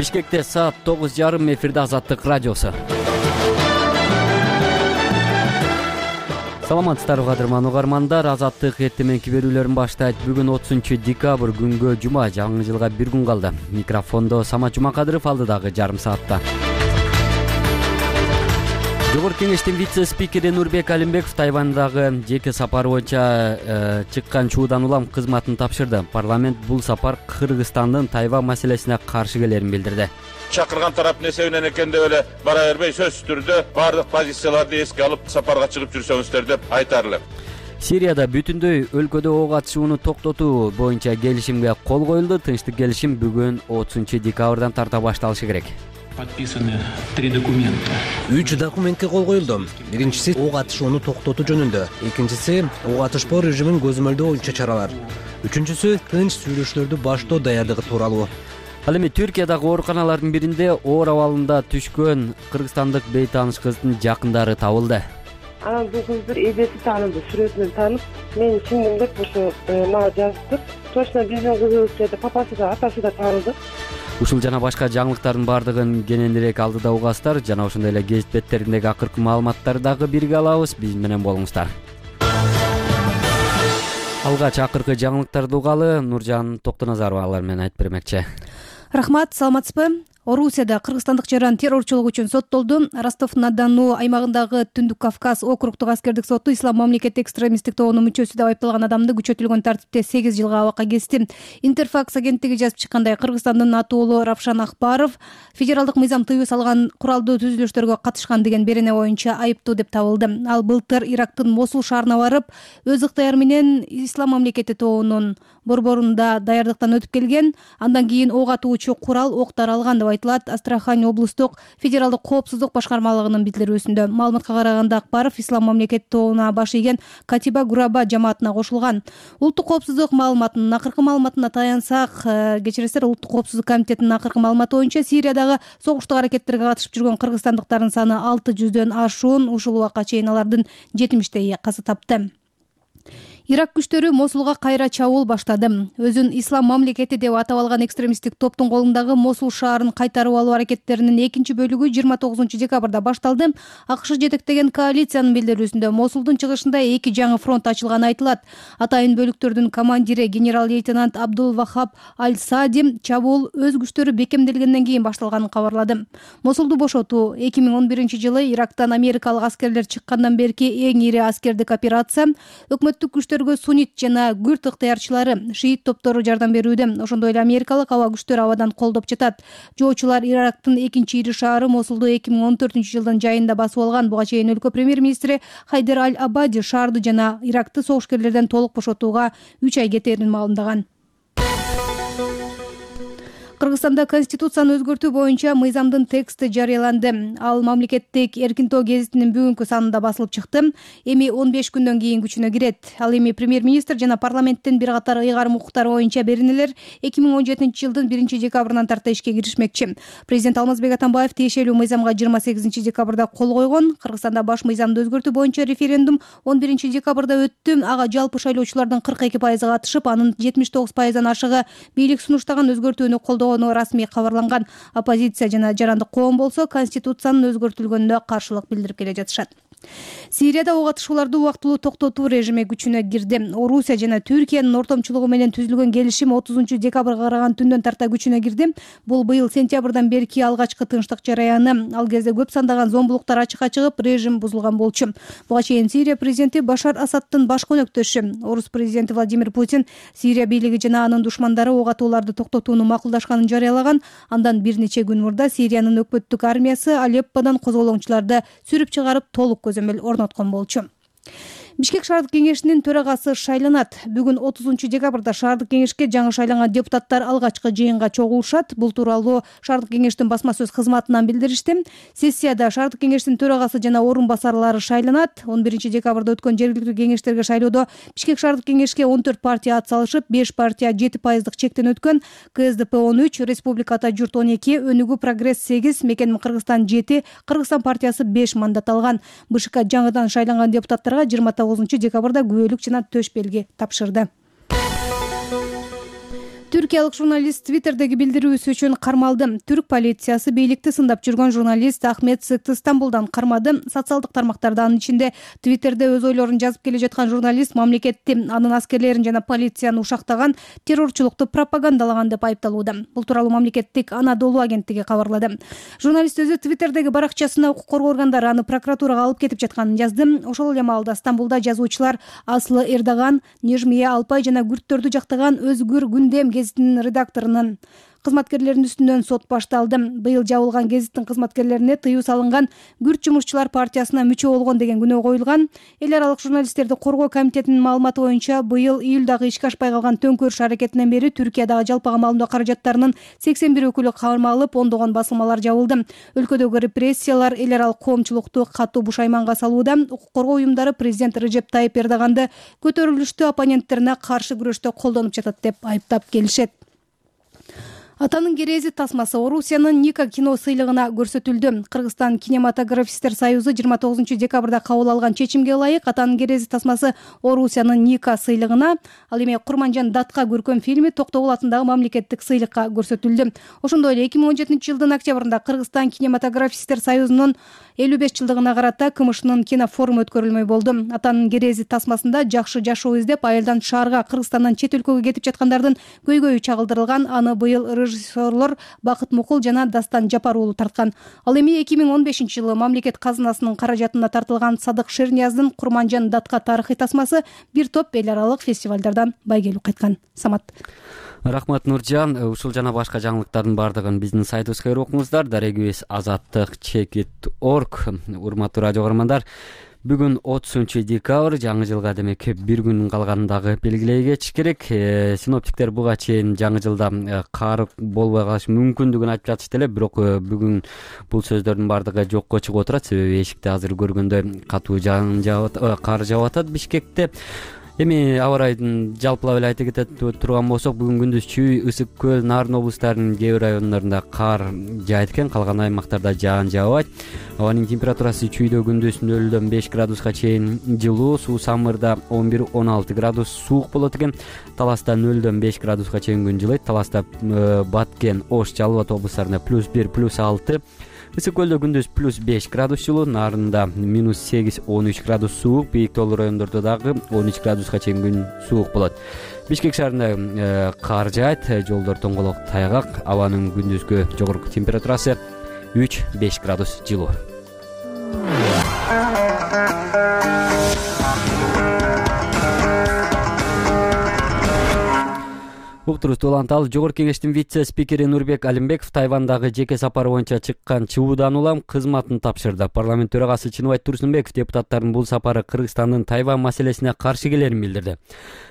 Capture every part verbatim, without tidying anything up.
Бишкекте саат тогуз жарым эфирде Азаттык радиосу. Саламатсыздарбы кадырман угармандар, Азаттык эртеменки берүүлөрүн баштайт. Бүгүн отузунчу декабрь күнгө жума, жаңы жылга бир күн калды. Микрофондо Самат Жумакадыров, алдыдагы жарым саатта. Жогорку кеңештин вице-спикери Нурбек Алимбеков Тайвандагы жеке сапары боюнча чыккан чуудан улам кызматын тапшырды. Парламент бул сапар Кыргызстандын Тайвань маселесине каршы келерин билдирди. Чакырган тарап несебинен экен деп эле бара бербей, сөзсүз түрдө баардык позицияларды эске алып сапарга чыгып жүрсөңүздөр деп айтар элем. Сирияда бүтүндөй өлкөдө ок атышууну токтотуу боюнча келишимге кол коюлду. Тынчтык келишим бүгүн отузунчу декабрдан тарта башталышы керек. Подписаны три документа. Үч документке кол коюлду. Биринчиси ок атышууну токтотуу жөнүндө, экинчиси ок атышпоо режимин көзөмөлдөө боюнча чаралар, үчүнчүсү тынч сүйлөшүүлөрдү баштоо даярдыгы тууралуу. Ал эми Түркиядагы ооруканалардын биринде оор абалында түшкөн кыргызстандык бейтааныш кыздын жакындары табылды. Анан бул кыздын эбеси таанылды, сүрөтүнөн таанып, мен сиңдим деп ошо мага жазыптыр. Точно биздин кызыбыз деп папасы да, атасы да таанылды. Ушул жана башка жаңылыктардын баардыгын кененирээк алдыда угасыздар. Жана ошондой эле гезит беттериндеги акыркы маалыматтарды дагы бирге алабыз. Биз менен болуңуздар. Алгач акыркы жаңылыктарды угалы, Нуржан Токтоназарова алар менен айтып бермекчи. Рахмат, саламатсызбы? Орусияда кыргызстандык жаран террорчулук үчүн соттолду. Ростов-на-Дону аймагындагы Түндүк Кавказ округдук аскердик соту ислам мамлекети экстремисттик тобунун мүчөсү деп айыпталган адамды күчөтүлгөн тартипте сегиз жылга абакка кести. Интерфакс агенттиги жазып чыккандай, Кыргызстандын атуулу Равшан Акбаров федералдык мыйзам тыюу салган куралдуу түзүлүштөргө катышкан деген берене боюнча айыптуу деп табылды. Ал былтыр Ирактын Мосул шаарына барып, өз ыктыяры менен ислам мамлекети тобунун борборунда даярдыктан өтүп келген. Андан кийин ок атуучу курал ок таралган деп айтылат Астрахань облустук федералдык коопсуздук башкармалыгынын билдирүүсүндө. Маалыматка караганда, Акбаров ислам мамлекети тобуна баш ийген Катиба Гураба жамаатына кошулган. Улуттук коопсуздук маалыматынын акыркы маалыматына таянсак, кечиресиздер, Улуттук коопсуздук комитетинин акыркы маалыматы боюнча Сириядагы согуштук аракеттерге катышып жүргөн кыргызстандыктардын саны алты жүздөн ашуун, ушул убакка чейин алардын жетимиштейи каза тапты. Ирак күчтөрү Мосулга кайра чабуул баштады. Өзүн ислам мамлекети деп атап алган экстремисттик топтун колундагы Мосул шаарын кайтарып алуу аракеттеринин экинчи бөлүгү жыйырма тогузунчу декабрда башталды. АКШ жетектеген коалициянын билдирүүсүндө Мосулдун чыгышында эки жаңы фронт ачылганы айтылат. Атайын бөлүктөрдүн командири генерал-лейтенант Абдул Вахаб Аль-Сади чабуул өз күчтөрү бекемделгенден кийин башталганын кабарлады. Мосулду бошотуу эки миң он биринчи жылы Ирактан америкалык аскерлер чыккандан берки эң ири аскердик операция. Өкмөттүк күчтөр суннит жана күрд ыктыярчылары, шиит топтору жардам берүүдө. Ошондой эле америкалык аба күчтөрү абадан колдоп жатат. Жоочулар Ирактын экинчи ири шаары Мосулду эки миң он төртүнчү жылдын жайында басып алган. Буга чейин өлкө премьер-министри Хайдер Аль-Абади шаарды жана Иракты согушкерлерден толук бошотууга үч ай кетээрин маалымдаган. Кыргызстанда конституцияны өзгөртүү боюнча мыйзамдын тексти жарыяланды. Ал мамлекеттик Эркинтоо гезитинин бүгүнкү санында басылып чыкты. Эми он беш күндөн кийин күчүнө кирет. Ал эми премьер-министр жана парламенттин бир катар ыйгарым укуктары боюнча беренелер эки миң он жетинчи жылдын биринчи декабрынан тарта ишке киришмекчи. Президент Алмазбек Атамбаев тиешелүү мыйзамга жыйырма сегизинчи декабрда кол койгон. Кыргызстанда баш мыйзамды өзгөртүү боюнча референдум он биринчи декабрда өттү. Ага жалпы шайлоочулардын кырк эки пайызы катышып, анын жетимиш тогуз пайыздан ашыгы бийлик сунуштаган өзгөртүүнү колдоо расмий кабарланган. Оппозиция жана жарандык коом болсо конституциянын өзгөртүлгөнүнө каршылык билдирип келе жатышат. Сирияда ок атышууларды убактылуу токтотуу режими күчүнө кирди. Орусия жана Түркиянын ортомчулугу менен түзүлгөн келишим отузунчу декабрга караган түндөн тарта күчүнө кирди. Бул быйыл сентябрдан берки алгачкы тынчтык жараяны. Ал кезде көп сандаган зомбулуктар ачыкка чыгып, режим бузулган болчу. Буга чейин Сирия президенти Башар Асадтын баш көнөктөшү, орус президенти Владимир Путин Сирия бийлиги жана анын душмандары ок атууларды токтотууну макулдашканын жарыялаган. Андан бир нече күн мурда Сириянын өкмөттүк армиясы Алепподан козголоңчуларды сүрүп чыгарып толук көзөмөл орноткон болчу. Бишкек шаардык кеңешинин төрагасы шайланат. Бүгүн отузунчу декабрда шаардык кеңешке жаңы шайланган депутаттар алгачкы жыйынга чогулушат. Бул тууралуу шаардык кеңештин басма сөз кызматынан билдиришти. Сессияда шаардык кеңештин төрагасы жана орун басарлары шайланат. он биринчи декабрда өткөн жергиликтүү кеңештерге шайлоодо Бишкек шаардык кеңешке он төрт партия ат салышып, беш партия жети пайыздык чектен өткөн. КСДП он үч, Республиката журт он эки, Өнүгүү Прогресс сегиз, Мекеним Кыргызстан жети, Кыргызстан партиясы беш мандат алган. БШК жаңыдан шайланган депутаттарга жыйырма тогузунчу декабрда күбөлүк жана төш белги тапшырды. Түркиялык журналист Твиттердеги билдирүүсү үчүн кармалды. Түрк полициясы бийликти сындап жүргөн журналист Ахмет Сыкты Стамбулдан кармады. Социалдык тармактарда, анын ичинде Твиттерде өз ойлорун жазып келе жаткан журналист мамлекетти, анын аскерлерин жана полицияны ушактаган, террорчулукту пропагандалаган деп айыпталууда. Бул тууралуу мамлекеттик Анадолу агенттиги кабарлады. Журналист өзү Твиттердеги баракчасына укук коргоо органдары аны прокуратурага алып кетип жатканын жазды. Ошол эле маалда Стамбулда жазуучулар Аслы Эрдоган, Нежмие Алпай жана күрттөрдү жактаган Өзгүр Күндем гезитинин редакторунун кызматкерлеринин үстүнөн сот башталды. Быйыл жабылган гезиттин кызматкерлерине тыюу салынган Күрт жумушчулар партиясына мүчө болгон деген күнөө коюлган. Эл аралык журналисттерди коргоо комитетинин маалыматы боюнча, быйыл июлдагы ишке ашпай калган төңкөрүш аракетинен бери Түркиядагы жалпы камалдоо каражаттарынын сексен бир өкүлү камалып, ондогон басылмалар жабылды. Өлкөдөгү репрессиялар эл аралык коомчулукту катуу бушайманга салууда. Укук коргоо уюмдары президент Режеп Тайып Эрдоганды көтөрүлүштүү оппоненттерине каршы күрөштө колдонуп жатат деп айыптап келишет. Атанын керези тасмасы Орусиянын Ника кино сыйлыгына көрсөтүлдү. Кыргызстан кинематографисттер союзу жыйырма тогузунчу декабрда кабыл алган чечимге ылайык Атанын керези тасмасы Орусиянын Ника сыйлыгына, ал эми Курманжан Датка көркөм фильми Токтогул атындагы мамлекеттик сыйлыкка көрсөтүлдү. Ошондой эле эки миң он жетинчи жылдын октябрында Кыргызстан кинематографисттер союзунун элүү беш жылдыгына карата КМШнын кинофоруму өткөрүлмөй болду. Атанын керези тасмасында жакшы жашоо издеп, айылдан шаарга, Кыргызстандан чет өлкөгө кетип жаткандардын көйгөйү чагылдырылган. Аны быйыл режиссерлор Бакыт Мукул жана Дастан Жапар уулу тарткан. Ал эми эки миң он бешинчи жылы мамлекет казынасынын каражатына тартылган Садык Шернияздын Курманжан Датка тарыхый тасмасы бир топ эл аралык фестивалдардан байгелүү кайткан. Самат. Рахмат Нуржан. Ушул жана башка жаңылыктардын бардыгын биздин сайтыбызга окуңуздар. Дарегибиз азаттык чекит точка орг. Урматтуу радио көрөрмандар, бүгүн отузунчу декабрь, жаңы жылга демек бир күн калгандагы белгилей кетиш керек. Синоптиктер буга чейин жаңы жылда кар болбой калышы мүмкүндүгүн айтып жатышты эле, бирок бүгүн бул сөздөрдүн бардыгы жокко чыгып отурат. Себеби эшикте азыр көргөндөй катуу жаан жаап, кар жаап атат Бишкекте. Эми аба ырайын жалпылап эле айта кете турган болсок, бүгүн күндүз Чүй, Ысык көл, Нарын облустарынын кээ бир райондорунда кар жаайт экен, калган аймактарда жаан жаабайт. Абанын температурасы Чүйдө күндүз нөлдөн беш градуска чейин жылуу, Суу Самырда он бир он алты градус суук болот экен. Таласта нөлдөн беш градуска чейин күн жылыйт. Таласта Баткен, Ош, Жалал Абад облустарында плюс бир, плюс алты. Ысык көлдө күндүз плюс беш градус жылуу, Нарында минус сегиз, он үч градус суук, бийик тоолуу райондордо дагы он үч градуска чейин күн суук болот. Бишкек шаарында кар жаайт, жолдор тоңголок тайгак, абанын күндүзгү жогорку температурасы үч беш градус жылуу. Уктурубузду уланталы. Жогорку кеңештин вице-спикери Нурбек Алимбеков Тайвандагы жеке сапары боюнча чыккан чыгуудан улам кызматын тапшырды. Парламент төрагасы Чыныбай Турсунбеков депутаттардын бул сапары Кыргызстандын Тайвань маселесине каршы келерин билдирди.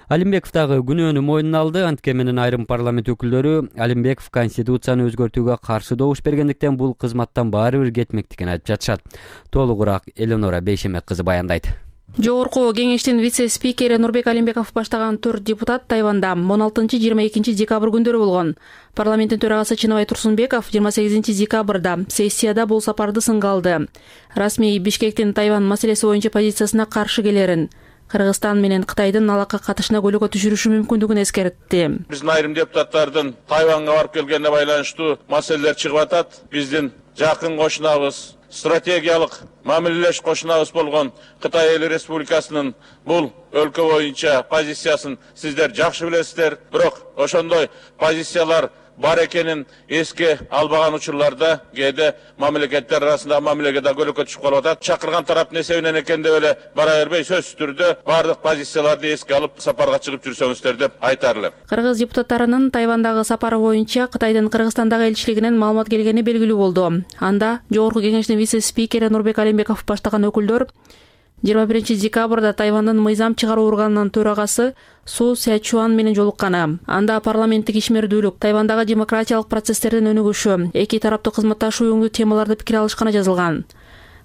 Алимбеков дагы күнөөнү мойнуна алды. Антке менен айрым парламент өкүлдөрү Алимбеков конституцияны өзгөртүүгө каршы добуш бергендиктен бул кызматтан баары бир кетмектигин айтып жатышат. Толугураак Эленора Бейшемек кызы баяндайт. Жогорку кеңештин вице-спикери Нурбек Алимбеков баштаган төрт депутат Тайванда он алтынчы — жыйырма экинчи декабрь күндөрү болгон. Парламенттин төрагасы Чыныбай Турсунбеков жыйырма сегизинчи декабрда сессияда бул сапарды сынга алды. Расмий Бишкектин Тайвань маселеси боюнча позициясына каршы келерин, Кыргызстан менен Кытайдын алака катышына көйгөй түшүрүшү мүмкүндүгүн эскертти. Биздин айрым депутаттардын Тайванга барып келгенине байланыштуу маселелер чыгып атат. Биздин жакын кошунабыз, стратегиялык мамилелеш кошунабыз болгон Кытай Эл Республикасынын бул өлкө боюнча позициясын сиздер жакшы билесиздер. Бирок ошондой позициялар бар экенин эске албаган учурларда кээде мамлекеттер арасында мамилеге көлөкө түшүп калып атат. Чакырган тараптын эсебинен экен деп эле бара бербей, сөзсүз түрдө бардык позицияларды эске алып сапарга чыгып жүрсөңүздөр деп айтар элем. Кыргыз депутаттарынын Тайвандагы сапары боюнча Кытайдын Кыргызстандагы элчилигинен маалымат келгени белгилүү болду. Анда жогорку кеңештин вице-спикери Нурбек Алимбеков баштаган өкүлдөр жыйырма биринчи декабрда Тайвандын мыйзам чыгаруу органынын төрагасы Су Сячуан менен жолукканы. Анда парламенттик ишмердүүлүк, Тайвандагы демократиялык процесстердин өнүгүшү, эки тараптуу кызматташуу өңдүү темаларды пикир алышканы жазылган.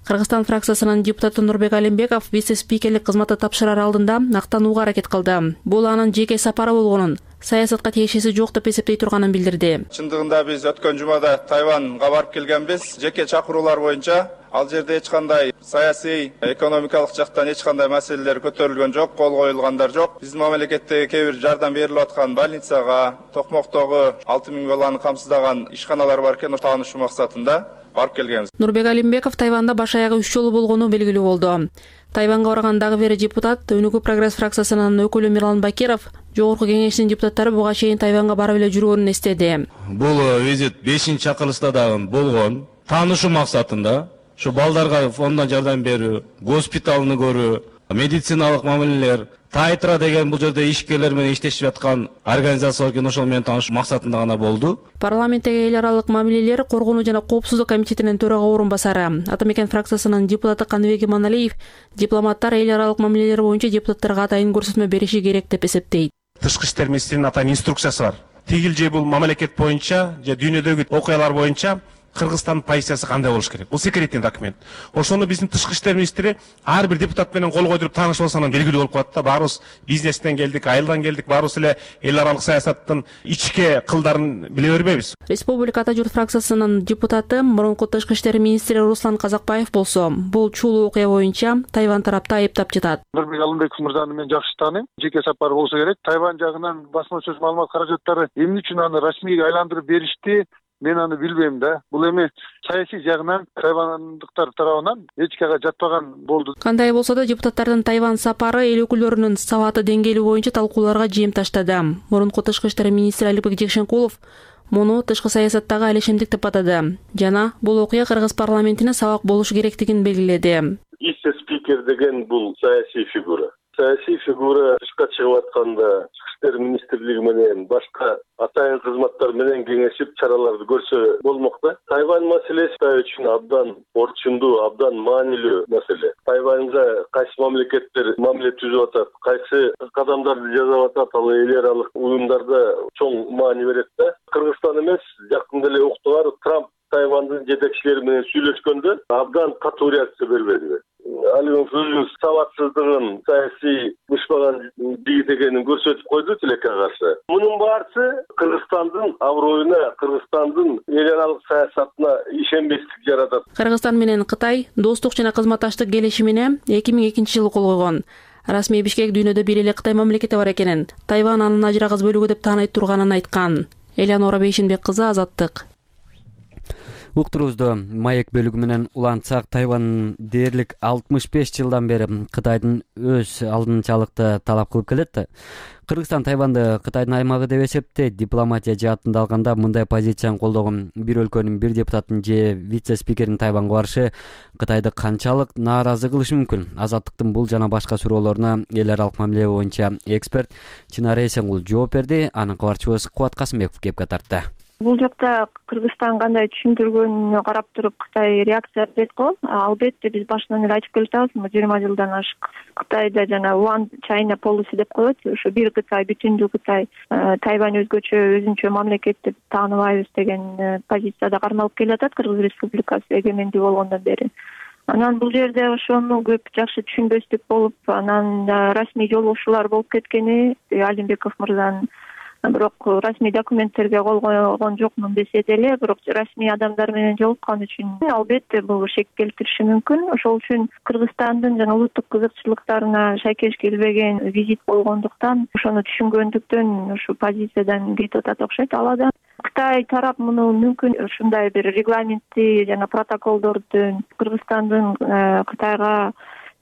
Кыргызстан фракциясынын депутаты Нурбек Алимбеков вице-спикерлик кызматты тапшырар алдында актанууга аракет кылды. Бул анын жеке сапары болгонун, саясатка тиешеси жок деп эсептей турганын билдирди. Чындыгында биз өткөн жумада Тайванга барып келгенбиз. Жеке чакыруулар боюнча ал жерде эч кандай саясий, экономикалык жактан эч кандай маселелер көтөрүлгөн жок, кол коюлгандар жок. Биздин мамлекеттеги кээ бир жардам берилип аткан больницага, Токмоктогу алты миң баланы камсыздаган ишканалар бар экен, таанышуу максатында барып келгенбиз. Нурбек Алимбеков Тайванда баш аягы үч жолу болгону белгилүү болду. Тайванга баргандагы бери депутат, Өнүгүү прогресс фракциясынын өкүлү Мирлан Бакиров Жогорку Кеңештин депутаттары буга чейин Тайванга барып эле жүргөнүн эстеди. Бул визит бешинчи чакырылышта дагы болгон. Таанышуу максатында ушу балдарга фонддон жардам берүү, госпиталны көрүү, медициналык мамилелер, Тайтра деген бул жерде ишкерлер менен иштешип аткан организация экен, ошол менен таанышуу максатында гана болду. Парламенттеги эл аралык мамилелер коргонуу жана коопсуздук комитетинин төрага орун басары, Ата Мекен фракциясынын депутаты Каныбек Иманалиев депутаттар эл аралык мамилелер боюнча депутаттарга атайын көрсөтмө бериши керек деп эсептейт. Тышкы иштер министринин атайын инструкциясы бар. Тигил же бул мамлекет боюнча же дүйнөдөгү окуялар боюнча Кыргызстандын позициясы кандай болуш керек? Бул секретный документ. Ошону биздин тышкы иштер министри ар бир депутат менен кол койдуруп таанышып алса анан белгилүү болуп калат да. Баарыбыз бизнестен келдик, айылдан келдик, баарыбыз эле эл аралык саясаттын ичке кылдарын биле бербейбиз. Республика Ата журт фракциясынын депутаты, мурунку тышкы иштер министри Руслан Казакбаев болсо, бул чулуу окуя боюнча Тайвань тарапты айыптап жатат. Нурбек Алимбеков мырзаны мен жакшы тааныйм. Жеке сапар болсо керек. Тайвань жагынан басма сөз маалымат каражаттары эмне үчүн аны расмийге айландырып беришти? Мен аны билбейм да. Бул эми саясий жагынан тайвандыктар тарабынан эчкага жатпаган болду. Кандай болсо да депутаттардын Тайвань сапары эл өкүлдөрүнүн сабаты деңгээли боюнча талкууларга жем таштады. Мурунку тышкы иштер министри Алибек Жекшенкулов муну тышкы саясаттагы алешемдик деп атады жана бул окуя Кыргыз парламентине сабак болушу керектигин белгиледи. Вице-спикер деген бул саясий фигура. Саясий фигура тышка чыгып атканда тышкы иштер министрлиги менен башка атайын кызматтар менен кеңешип чараларды көрсө болмок да. Тайвань маселеси үчүн абдан орчундуу, абдан маанилүү маселе. Тайваньга кайсы мамлекеттер мамиле түзүп атат, кайсы кадамдарды жасап атат, ал эл аралык уюмдарда чоң маани берет да. Кыргызстан эмес, жакында эле уктугар Трамп Тайвандын жетекчилери менен сүйлөшкөндө абдан катуу реакция бербеди. Алимов өзүнүн сабатсыздыгын, саясий бышпаган жигит экенин көрсөтүп койду тилекке каршы. Мунун баарысы Кыргызстандын аброюна, Кыргызстандын эл аралык саясатына ишенбестик жаратат. Кыргызстан менен Кытай достук жана кызматташтык келишимине эки миң экинчи жылы кол койгон. Расмий Бишкек дүйнөдө бир эле Кытай мамлекети бар экенин, Тайвань анын ажырагыс бөлүгү деп тааныйт турганын айткан. Элянора Бейшенбек кызы, Азаттык. Уктурубузду маек бөлүгү менен улантсак, Тайвань дээрлик алтымыш беш жылдан бери Кытайдын өз алдынчалыкты талап кылып келет. Кыргызстан Тайваньды Кытайдын аймагы деп эсептейт. Дипломатия жаатында алганда мындай позицияны колдогон бир өлкөнүн бир депутатынын же вице-спикеринин Тайваньга барышы Кытайды канчалык нааразы кылышы мүмкүн? Азаттыктын бул жана башка суроолоруна эл аралык мамиле боюнча эксперт Чынара Эсенгул жооп берди. Анын кабарчыбыз Кубат Касымбеков кепке тартты. Бул жакта Кыргызстан кандай түшүндүргөнүнө карап туруп Кытай реакция берет го. Албетте биз башынан эле айтып келатабыз, жыйырма жылдан ашык Кытайда жана One China policy деп коет. Ушу бир Кытай, бүтүндүү Кытай, Тайвань өзгөчө, өзүнчө мамлекет деп тааныбайбыз деген позицияда кармалып келатат Кыргыз Республикасы эгемендүү болгондон бери. Анан бул жерде ошону көп жакшы түшүнбөстүк болуп, анан расмий жолугушуулар болуп кеткени Алимбеков мырзанын бирок расмий документтерге кол койгон жокмун десе деле, бирок расмий адамдар менен жолуккан үчүн албетте бул шек келтириши мүмкүн. Ошол үчүн Кыргызстандын жана улуттук кызыкчылыктарына шайкеш келбеген визит болгондуктан, ошону түшүнгөндүктөн ушу позициядан кетип атат окшойт. Ал да Кытай тарап муну мүмкүн ушундай бир регламентти жана протоколдорду Кыргызстандын Кытайга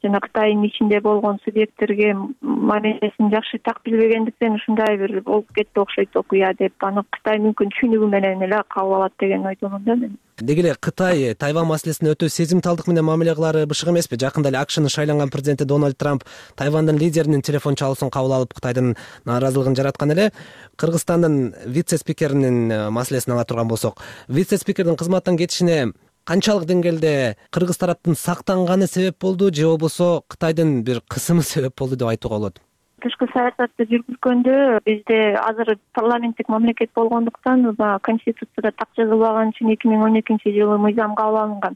жана Кытайдын ичинде болгон субъекттерге мамилесин жакшы так билбегендиктен ушундай бир болуп кетти окшойт окуя деп, аны Кытай мүмкүн түшүнүгү менен эле кабыл алат деген ойдомун да мен. Деги эле Кытай Тайвань маселесине өтө сезимталдык менен мамиле кылары бышык эмеспи? Жакында эле АКШнын шайланган президенти Дональд Трамп Тайвандын лидеринин телефон чалуусун кабыл алып Кытайдын нааразылыгын жараткан эле. Кыргызстандын вице-спикеринин маселесин ала турган болсок, вице-спикердин кызматтан кетишине канчалык деңгээлде Кыргыз тараптын сактанганы себеп болду же болбосо Кытайдын бир кысымы себеп болду деп айтууга болот? Тышкы саясатты жүргүзгөндө бизде азыр парламенттик мамлекет болгондуктан конституцияда так жазылбаган үчүн эки миң он экинчи жылы мыйзам кабыл алынган.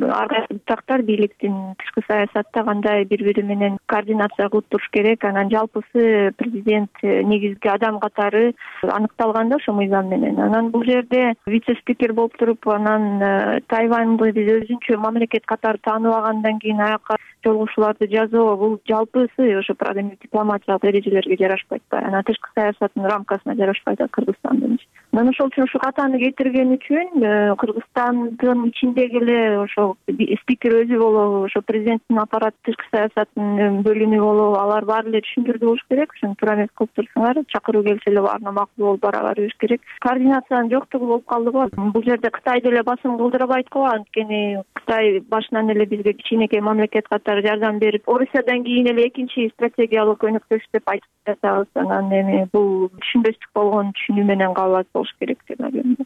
ар кайсы буттактар бийликтин тышкы саясатта кандай бири бири менен координация кылып туруш керек. Анан жалпысы президент негизги адам катары аныкталган да ошо мыйзам менен. Анан бул жерде вице-спикер болуп туруп, анан Тайваньды биз өзүнчө мамлекет катары тааныбагандан кийин аяка жолугушууларды жазуу, бул жалпысы ошо дипломатиялык эрежелерге жарашпайт да. Анан тышкы саясаттын рамкасына жарашпайт да Кыргызстандын. Анан ошол үчүн ушу катаны кетирген үчүн Кыргызстандын ичиндеги эле ошо спикер өзү болобу, ошо президенттин аппараты тышкы саясаттын бөлүмү болобу, алар баары эле түшүндүрдү болуш керек. Ошону туура эмес кылып турсуңар, чакыруу келсе эле баарына макул болуп бара бериш керек. Координациянын жоктугу болуп калды го. Бул жерде Кытай деле басым кылдырбайт го, анткени Кытай башынан эле бизге кичинекей мамлекет катары жардам берип, Орусиядан кийин эле экинчи стратегиялык өнөктөш деп айтып жатабыз. Анан эми бул түшүнбөстүк болгон түшүнүү менен кабыл болуш керек деп ойлойм.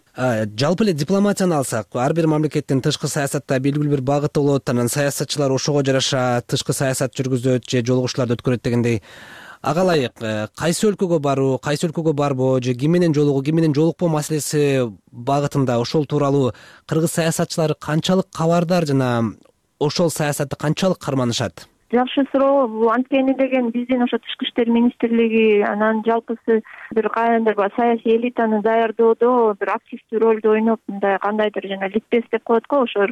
Жалпы эле дипломатияны алсак, ар бир мамлекеттин тышкы саясатта белгилүү бир багыты болот, анан саясатчылар ошого жараша тышкы саясат жүргүзөт же жолугушууларды өткөрөт дегендей. Ага ылайык кайсы өлкөгө баруу, кайсы өлкөгө барбоо же ким менен жолугуу, ким менен жолукпоо маселеси багытында ошол тууралуу кыргыз саясатчылары канчалык кабардар жана ошол саясатты канчалык карманышат? Жакшы суроо. Бул анткени деген биздин ошо тышкы иштер министрлиги анан жалпысы бир кайдыр саясий элитаны даярдоодо бир активдүү ролду ойноп, мындай кандайдыр жана ликбез деп коет го, ошо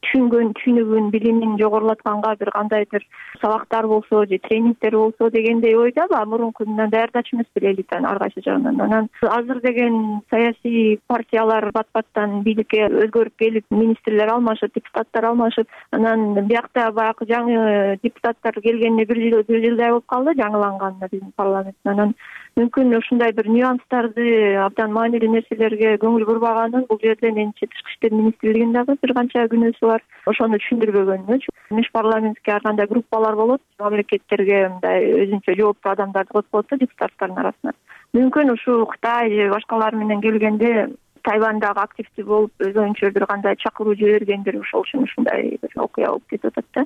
түшүнгөн, түшүнүгүн, билимин жогорулатканга бир кандайдыр сабактар болсо же тренингдер болсо дегендей ойдобу, мурунку мындан даярдачу эмес беле элитаны ар кайсы жагынан. Анан азыр деген саясий партиялар бат-баттан бийликке өзгөрүп келип, министрлер алмашып, депутаттар алмашып, анан биякта баягы жаңы депутаттар келгенине бир жыл бир жылдай болуп калды, жаңыланганына биздин парламент. Анан мүмкүн ушундай бир нюанстарды, абдан маанилүү нерселерге көңүл бурбаганын бул жерде менимче тышкы иштер министрлигинин дагы бир канча күнөөсү бар. Ошону түшүндүрбөгөнү. Межпарламенттик ар кандай группалар болот, мамлекеттерге мындай өзүнчө жооптуу адамдарды коюп коет да депутаттардын арасына. Мүмкүн ушу Кытай же башкалар менен келгенде Тайвандагы активдүү болуп, өз оюнча бир кандай чакыруу жибергендир, ошол үчүн ушундай бир окуя болуп кетип атат да.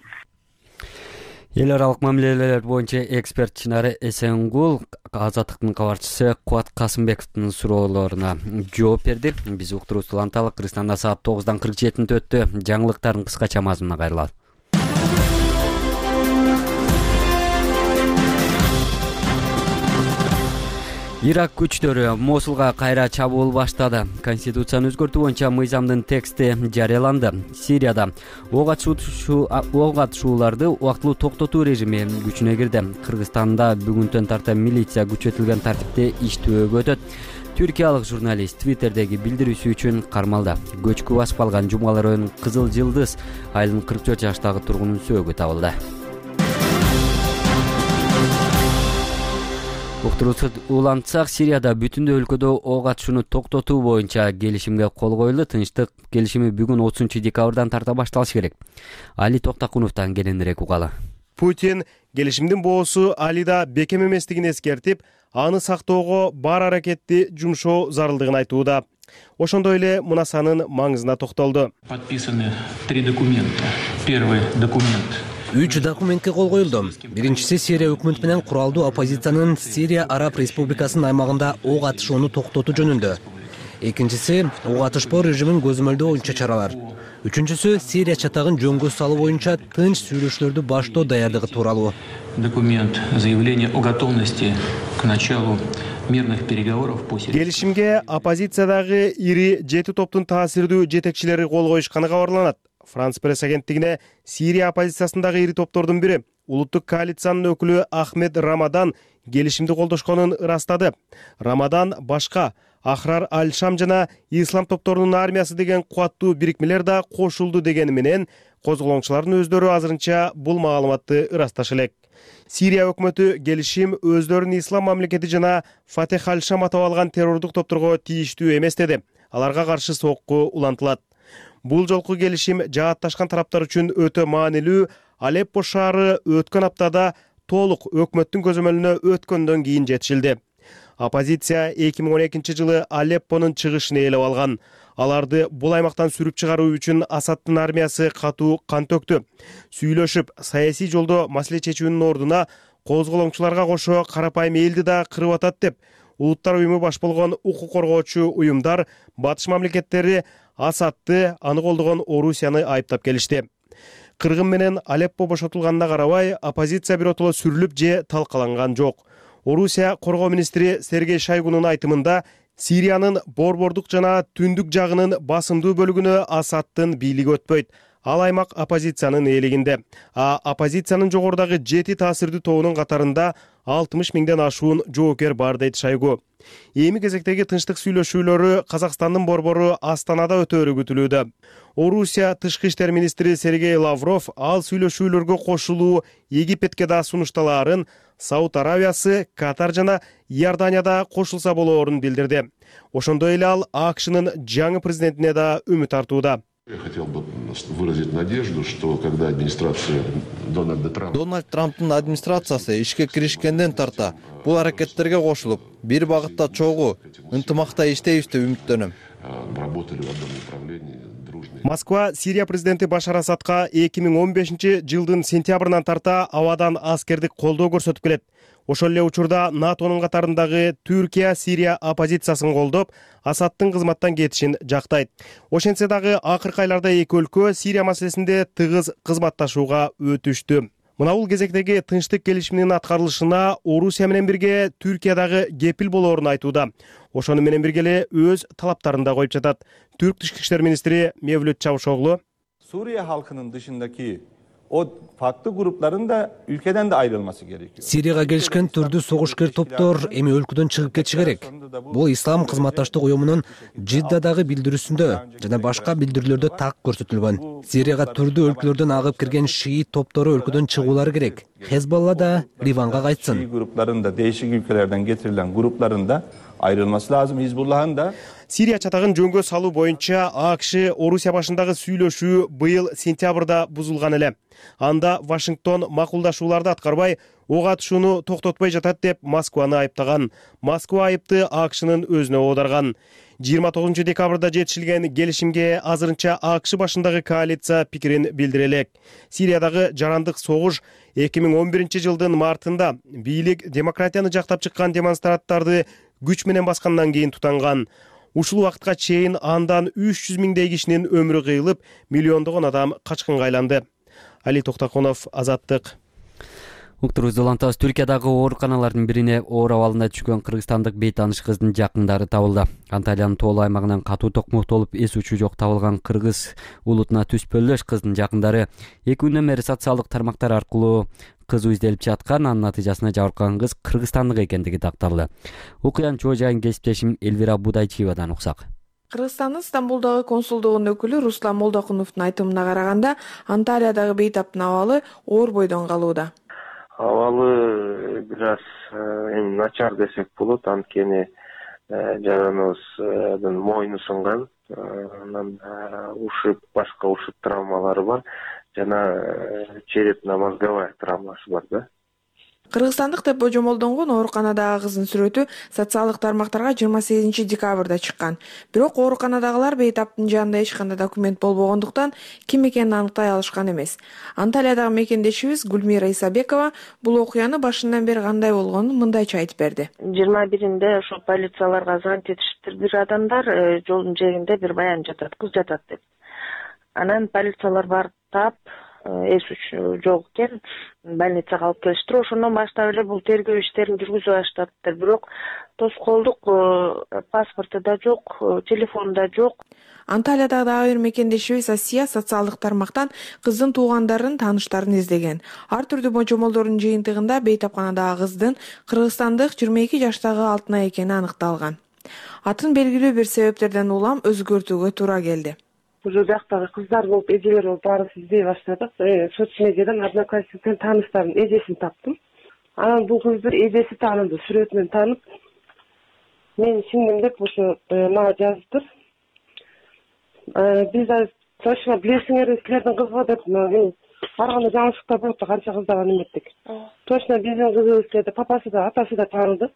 Эл аралык мамилелер боюнча эксперт Чынары Эсенгул Азаттыктын кабарчысы Кубат Касымбековдун суроолоруна жооп берди. Биз уктуруубузду уланталы. Кыргызстанда саат тогуздан кырк жетинде өттү. Жаңылыктардын кыскача мазмуна кайрылат. Ирак күчтөрү Мосулга кайра чабуул баштады. Конституцияны өзгөртүү боюнча мыйзамдын тексти жарыяланды. Сирияда ок атышууларды убактылуу токтотуу режими күчүнө кирди. Кыргызстанда бүгүнтөн тарта милиция күчөтүлгөн тартипте иштөөгө өтөт. Түркиялык журналист Твиттердеги билдирүүсү үчүн кармалды. Көчкү басып калган Жумалар районунун Кызыл Жылдыз айылынын кырк төрт жаштагы тургунунун сөөгү табылды. Уктуруусу улантсак, Сирияда бүтүндөй өлкөдө ок атышууну токтотуу боюнча келишимге кол коюлду. Тынчтык келишими бүгүн отузунчу декабрдан тарта башталышы керек. Али Токтакуновдон кененирээк угалы. Путин келишимдин боосу Алида бекем эместигин эскертип, аны сактоого бар аракетти жумшоо зарылдыгын айтууда. Ошондой эле мунасанын маңызына токтолду. Подписаны три документа. Первый документ. Үч документке кол коюлду. Биринчиси Сирия өкмөтү менен куралдуу оппозициянын Сирия Араб Республикасынын аймагында ок атышууну токтотуу жөнүндө. Экинчиси ок атышпоо режимин көзөмөлдөө боюнча чаралар. Үчүнчүсү Сирия чатагын жөнгө салуу боюнча тынч сүйлөшүүлөрдү баштоо даярдыгы тууралуу. Документ заявление о готовности к началу мирных переговоров по Сирии. Келишимге оппозициядагы ири жети топтун таасирдүү жетекчилери кол коюшканы кабарланат. Франс пресс агенттигине Сирия оппозициясындагы ири топтордун бири, улуттук коалициянын өкүлү Ахмед Рамадан келишимди колдошконун ырастады. Рамадан башка Ахрар Аль-Шам жана Ислам топторунун армиясы деген кубаттуу бирикмелер да кошулду дегени менен козголоңчулардын өздөрү азырынча бул маалыматты ырасташы элек. Сирия өкмөтү келишим өздөрүн ислам мамлекети жана Фатех Аль-Шам атап алган террордук топторго тийиштүү эмес деди. Аларга каршы сокку улантылат. Бул жолку келишим жаатташкан тараптар үчүн өтө маанилүү. Алеппо шаары өткөн аптада толук өкмөттүн көзөмөлүнө өткөндөн кийин жетишилди. Оппозиция эки миң он экинчи жылы Алеппонун чыгышын ээлеп алган. Аларды бул аймактан сүрүп чыгаруу үчүн Асадтын армиясы катуу кан төктү. Сүйлөшүп, саясий жолдо маселе чечүүнүн ордуна козголоңчуларга кошо карапайым элди да кырып атат деп Улуттар уюму баш болгон укук коргоочу уюмдар батыш мамлекеттери Асадты, аны колдогон Орусияны айыптап келишти. Кыргын менен Алеппо бошотулганына карабай, оппозиция биротоло сүрүлүп же талкаланган жок. Орусия коргоо министри Сергей Шойгунун айтымында Сириянын борбордук жана түндүк жагынын басымдуу бөлүгүнө Асадтын бийлиги өтпөйт. Ал аймак оппозициянын ээлигинде. А оппозициянын жогорудагы жети таасирдүү тобунун катарында алтымыш миңден ашуун жоокер бар дейт Шойгу. Эми кезектеги тынчтык сүйлөшүүлөрү Казакстандын борбору Астанада өтөөрү күтүлүүдө. Орусия тышкы иштер министри Сергей Лавров ал сүйлөшүүлөргө кошулуу Египетке да сунушталаарын, Сауд Аравиясы, Катар жана Иорданияда кошулса болоорун билдирди. Ошондой эле ал АКШнын жаңы президентине да үмүт артууда. Я хотел бы выразить надежду, что когда администрация Дональда Трампа Дональд Трамптын администрациясы ишке киришкенден тарта бул аракеттерге кошулуп, бир багытта чогуу ынтымакта иштейбиз деп үмүттөнөм. работали в одном направлении. Москва Сирия президенти Башар Асадка эки миң он бешинчи жылдын сентябрынан тарта абадан аскердик колдоо көрсөтүп келет. Ошол эле учурда НАТОнун катарындагы Түркия Сирия оппозициясын колдоп, Асадтын кызматтан кетишин жактайт. Ошентсе дагы акыркы айларда эки өлкө Сирия маселесинде тыгыз кызматташууга өтүштү. Мына бул кезектеги тынчтык келишиминин аткарылышына Орусия менен бирге Түркия дагы кепил болоорун айтууда. Ошону менен бирге эле өз талаптарын да коюп жатат. Түрк тышкы иштер министри Мевлют Чавушоглу Suriye halkının dışındaki o farklı grupların da ülkeden de ayrılması gerekiyor. Сирияга келишкен түрдүү согушкер топтор эми өлкөдөн чыгып кетиши керек. Бул Ислам кызматташтык уюмунун Жиддадагы билдирүүсүндө жана башка билдирүүлөрдө так көрсөтүлгөн. Сирияга түрдүү өлкөлөрдөн агып кирген шиит топтору өлкөдөн чыгуулары керек. Хезболла да Ливанга кайтсын. Şii grupların da değişik ülkelerden getirilen grupların da ayrılması lazım. Hizbullah'ın da Сирия чатагын жөнгө салуу боюнча АКШ Орусия башындагы сүйлөшүү быйыл сентябрда бузулган эле. Анда Вашингтон макулдашууларды аткарбай, ок атышууну токтотпой жатат деп Москваны айыптаган. Москва айыпты АКШнын өзүнө оодарган. жыйырма тогузунчу декабрда жетишилген келишимге азырынча АКШ башындагы коалиция пикирин билдире элек. Сириядагы жарандык согуш эки миң он биринчи жылдын мартында бийлик демократияны жактап чыккан демонстранттарды күч менен баскандан кийин тутанган. Ушул убакытка чейин андан үч жүз миңдей кишинин өмүрү кыйылып, миллиондогон адам качкынга айланды. Али Токтаконов, Азаттык. Уктурубузду улантабыз. Түркиядагы ооруканалардын бирине оор абалында түшкөн кыргызстандык бейтааныш кыздын жакындары табылды. Анталиянын тоолуу аймагынан катуу токмоктолуп эс учу жок табылган кыргыз улутуна түспөлдөш кыздын жакындары эки күндөн бери социалдык тармактар аркылуу кызы изделип жаткан, анын натыйжасында жабыркаган кыз кыргызстандык экендиги такталды. Окуянын чоо жайын кесиптешим Элвира Будайчиевадан уксак. Кыргызстандын Стамбулдагы консулдугунун өкүлү Руслан Молдокуновдун айтымына караганда, Анталиядагы бейтаптын абалы оор бойдон калууда. Абалы бир аз эми начар десек болот, анткени жаныбыздын мойну сынган, анан ушуп, башка ушуп травмалары бар жана черепно-мозговая травмасы бар да. Кыргызстандык деп божомолдонгон ооруканадагы кыздын сүрөтү социалдык тармактарга жыйырма сегизинчи декабрда чыккан. Бирок ооруканадагылар бейтаптын жанында эч кандай документ болбогондуктан ким экенин аныктай алышкан эмес. Анталиядагы мекендешибиз Гүлмира Исабекова бул окуяны башынан бери кандай болгонун мындайча айтып берди. жыйырма биринде ошо полицияларга звонить этишиптир, бир адамдар жолдун жээгинде бир баян жатат, кыз жатат деп. Анан полициялар барып таап, эс үч жок экен, больницага алып келиштир. Ошондон баштап эле бул тергөө иштерин жүргүзүп баштаптыр. Бирок тоскоолдук паспорту да жок, телефону да жок. Анталиядагы дагы бир мекендешибиз Асия социалдык тармактан кыздын туугандарын, тааныштарын издеген. Ар түрдүү божомолдордун жыйынтыгында бейтапканадагы кыздын кыргызстандык жыйырма эки жаштагы Алтынай экени аныкталган. Атын белгилүү бир себептерден улам өзгөртүүгө туура келди. Уже бияктагы кыздар болуп, эжелер болуп баарыбыз издей баштадык. Соцмедиядан одноклассниктен тааныштардын эжесин таптым. Анан бул кызды эжеси тааныды, сүрөтүнөн таанып, мен сиңдим деп ошо мага жазыптыр. Биз да точно билесиңер, силердин кызга деп ар кандай жаңылыштар болот да, канча кыздарга эметтик. Точно биздин кызыбыз деп папасы да, атасы да тааныды.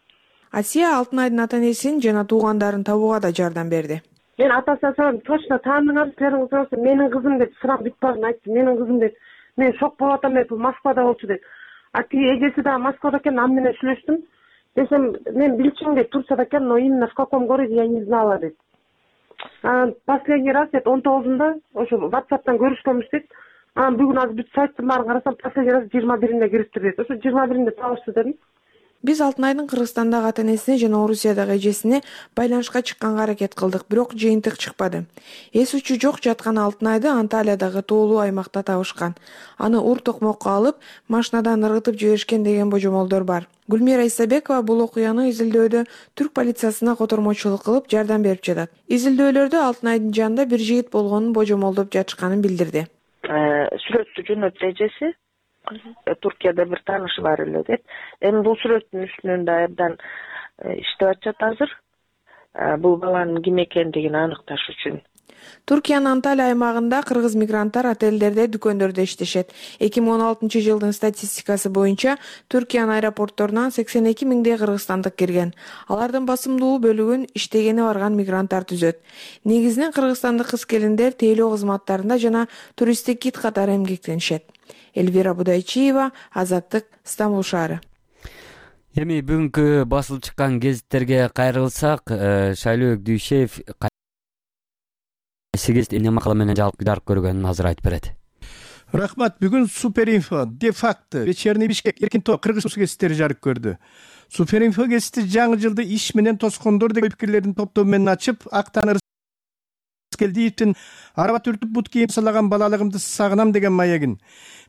Асия Алтынайдын ата-энесин жана туугандарын табууга да жардам берди. Мен атасына сурадым, точно тааныңар, силердин кызыңыз менин кызым деп сурап бүт бардым, айтты, менин кызым деп. Мен шок болуп атам, бул Москвада болчу деп. А тиги эжеси да Москвада экен, аны менен сүйлөштүм. десем, мен билчүмүн дейт, Турцияда экен, но именно в каком городе я не знала дейт. Анан последний раз дейт он тогузунда ошо WhatsApp'тан көрүшкөнбүз дейт. Анан бүгүн азыр бүт сайттын баарын карасам, последний раз жыйырма биринде кириптир дейт. Ошо жыйырма биринде табышты дедим. Биз Алтынайдын Кыргызстандагы ата-энесине жана Орусиядагы эжесине байланышка чыкканга аракет кылдык, бирок жыйынтык чыкпады. Эс учу жок жаткан Алтынайды Анталиядагы тоолуу аймакта табышкан. Аны ур токмокко алып, машинадан ыргытып жиберишкен деген божомолдор бар. Гүлмира Исабекова бул окуяны изилдөөдө түрк полициясына котормочулук кылып жардам берип жатат. Изилдөөлөрдө Алтынайдын жанында бир жигит болгонун божомолдоп жатышканын билдирди. Сүрөттү жөнөттү эжеси. Туркияда бир таанышы бар эле деп. Эми бул сүрөттүн үстүнөн да абдан иштеп атышат азыр. Бул баланын ким экендигин аныкташ үчүн. Туркиянын Анталия аймагында кыргыз мигранттар отелдерде, дүкөндөрдө иштешет. эки миң он алтынчы жылдын статистикасы боюнча Туркиянын аэропортторунан сексен эки миңдей кыргызстандык кирген. Алардын басымдуу бөлүгүн иштегени барган мигранттар түзөт. Негизинен кыргызстандык кыз-келиндер тейлөө кызматтарында жана туристтик гид катары эмгектенишет. Эльвира Будайчиева, Азаттык, Стамбул шаары. Эми бүгүнкү басылып чыккан гезиттерге кайрылсак, Шайлообек Дүйшеев сегиз эмне макала менен жарык көргөнүн азыр айтып берет. Рахмат. Бүгүн Суперинфо, де-факто, Вечерний Бишкек, Эркин Тоо, Кыргыз гезиттери жарык көрдү. Суперинфо гезити жаңы жылды иш менен тоскондор деген пикирлердин топтому менен ачып, Актан Келдиевдин араба түртүп бут кийим салаган балалыгымды сагынам деген маягин,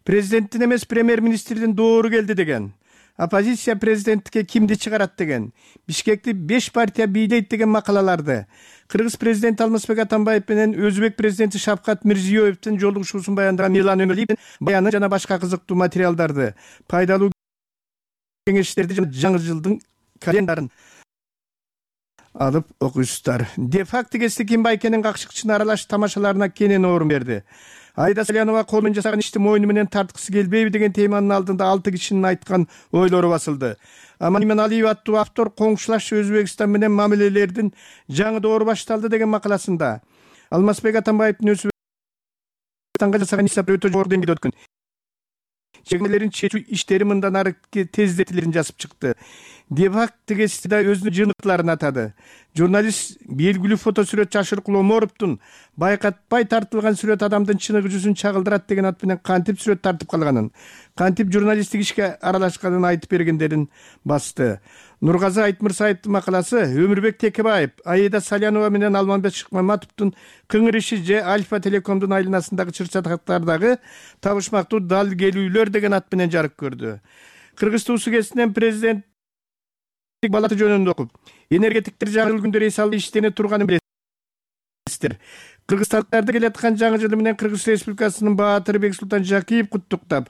президенттин эмес премьер-министрдин доору келди деген, оппозиция президенттикке кимди чыгарат деген, Бишкекти беш партия бийлейт деген макалаларды, Кыргыз президенти Алмазбек Атамбаев менен Өзбек президенти Шавкат Мирзиёевдин жолугушуусун баяндаган Милан Өмөлиевдин баяны жана башка кызыктуу материалдарды, пайдалуу кеңештерди жана жаңы жылдын календарын алып окуйсуздар. Де-факто гезити Ким Байкенин какшыкчына аралаш тамашаларына кенен орун берди. Айда Салянова колунун жасаган ишти мойну менен тарткысы келбейби деген теманын алдында алты кишинин айткан ойлору басылды. Аман Алиев аттуу автор коңшулаш Өзбекстан менен мамилелердин жаңы доору башталды деген макаласында Алмазбек Атамбаевдин Өзбекстанга жасаган исапы өтө жогору деңгээлде өткөн. Чегмелерин чечүү иштери мындан ары тездетилерин жазып чыкты. Де-факто гезити да өзүнүн жыйынтыктарын атады. Журналист белгилүү фотосүрөт Жашыркул Оморовдун байкатпай тартылган сүрөт адамдын чыныгы жүзүн чагылдырат деген ат менен кантип сүрөт тартып калганын, кантип журналисттик ишке аралашканын айтып бергендерин басты. Нургазы Айтмырсаевдин макаласы Өмүрбек Текебаев, Аида Салянова менен Алманбек Шыкмаматовдун кыңыр иши же Альфа Телекомдун айланасындагы чыр-чатактардагы табышмактуу дал келүүлөр деген ат менен жарык көрдү. Кыргыз туусу гезитинен президент балаты жөнүндө окуп, энергетиктер жаңы жыл күндөрү эс алып иштене турганын билесиздер. Кыргызстандыктарды келаткан жаңы жылы менен Кыргыз Республикасынын баатыры Бексултан Жакиев куттуктап,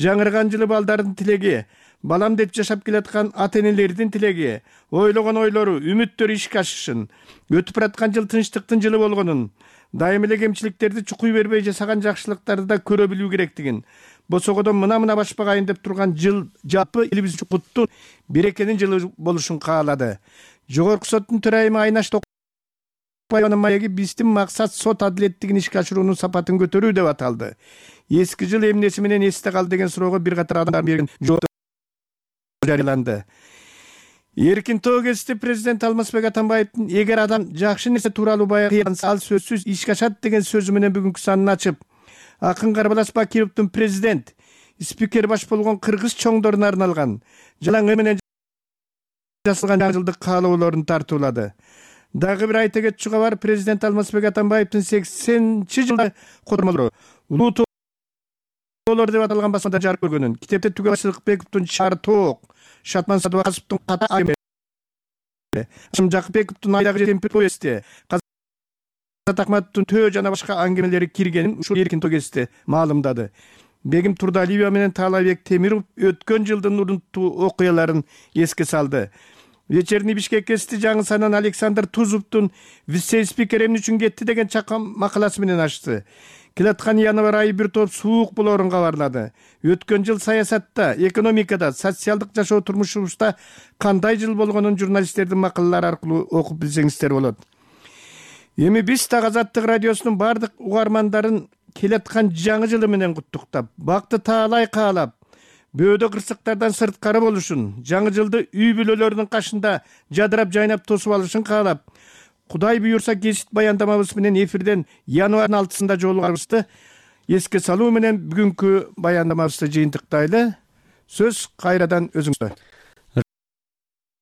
жаңырган жылы балдардын тилеги, балам деп жашап келаткан ата-энелердин тилеги, ойлогон ойлору, үмүттөрү ишке ашышын, өтүп бараткан жыл тынчтыктын жылы болгонун, дайым эле кемчиликтерди чукуй бербей жасаган жакшылыктарды да көрө билүү керектигин, босогодон мына-мына башпагайын деп турган жыл жапы элибиз үчүн куттуу берекенин жылы болушун каалады. Жогорку соттун төрайымы Айнаш Токпаеванын маеги биздин максат сот адилеттигин ишке ашыруунун сапатын көтөрүү деп аталды. Эски жыл эмнеси менен эсте калды деген суроого бир катар адамдар берген жооп жарыяланды. Эркин Тоо гезити президент Алмазбек Атамбаевдин эгер адам жакшы нерсе тууралуу баягы ал сөзсүз ишке ашат деген сөзү менен бүгүнкү санын ачып, Акын Карбалас Бакировдун президент, спикер баш болгон кыргыз чоңдоруна арналган жалаң менен жасалган жаңы жылдык каалоолорун тартуулады. Дагы бир айта кетчүгө бар, президент Алмазбек Атамбаевдин сексенинчи жылда котормолору улуу тоолор деп аталган басмада жарык көргөнүн, китепте Түгө Сыдыкбековдун Чар тоок, Шатман Садыбаковдун Ката айме, Ашым Жакыпбековдун Айдагы кемпир повести, Казат Акматовдун Төө жана башка аңгемелери киргенин ушул Эркин Тоо гезити маалымдады. Бегим Турдалиева менен Таалайбек Темиров өткөн жылдын урунтуу окуяларын эске салды. Вечерний Бишкек гезити жаңы санын Александр Тузовдун вице-спикер эмне үчүн кетти деген чакан макаласы менен ачты. Келаткан январь айы бир топ суук болоорун кабарлады. Өткөн жыл саясатта, экономикада, социалдык жашоо турмушубузда кандай жыл болгонун журналисттердин макалалары аркылуу окуп билсеңиздер болот. Эми биз так Азаттык радиосунун бардык угармандарын келаткан жаңы жылы менен куттуктап, бакты таалай каалап, бөөдө кырсыктардан сырткары болушун, жаңы жылды үй бүлөлөрүнүн кашында жадырап жайнап тосуп алышын каалап, Кудай буйрса кесип баяндамабыз менен эфирден январдын алтысында жолугарыбызды эске салуу менен бүгүнкү баяндамабызды жыйынтыктайлы. Сөз кайрадан өзүңүздө.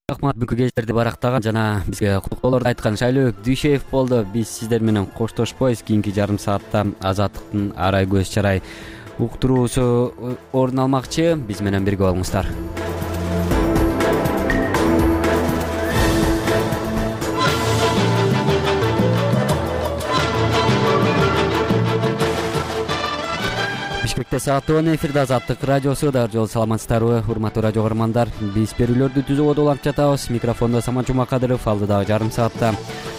Рахмат, бүгүнкү кездерди барактаган жана бизге куттуктоолорду айткан Шайлообек Дүйшеев болду. Биз сиздер менен коштошпойбуз. Кийинки жарым саатта Азаттыктын арай көз чарай уктуруусу орун алмакчы. Биз менен бирге болуңуздар. Бишкекте саат он эфирде Азаттык радиосу. Дагы жолу саламатсыздарбы, урматтуу радио көрөрмандар. Биз берүүлөрдү түзүүгө уланып жатабыз. Микрофондо Самат Жумакадыров, алдыдагы жарым саатта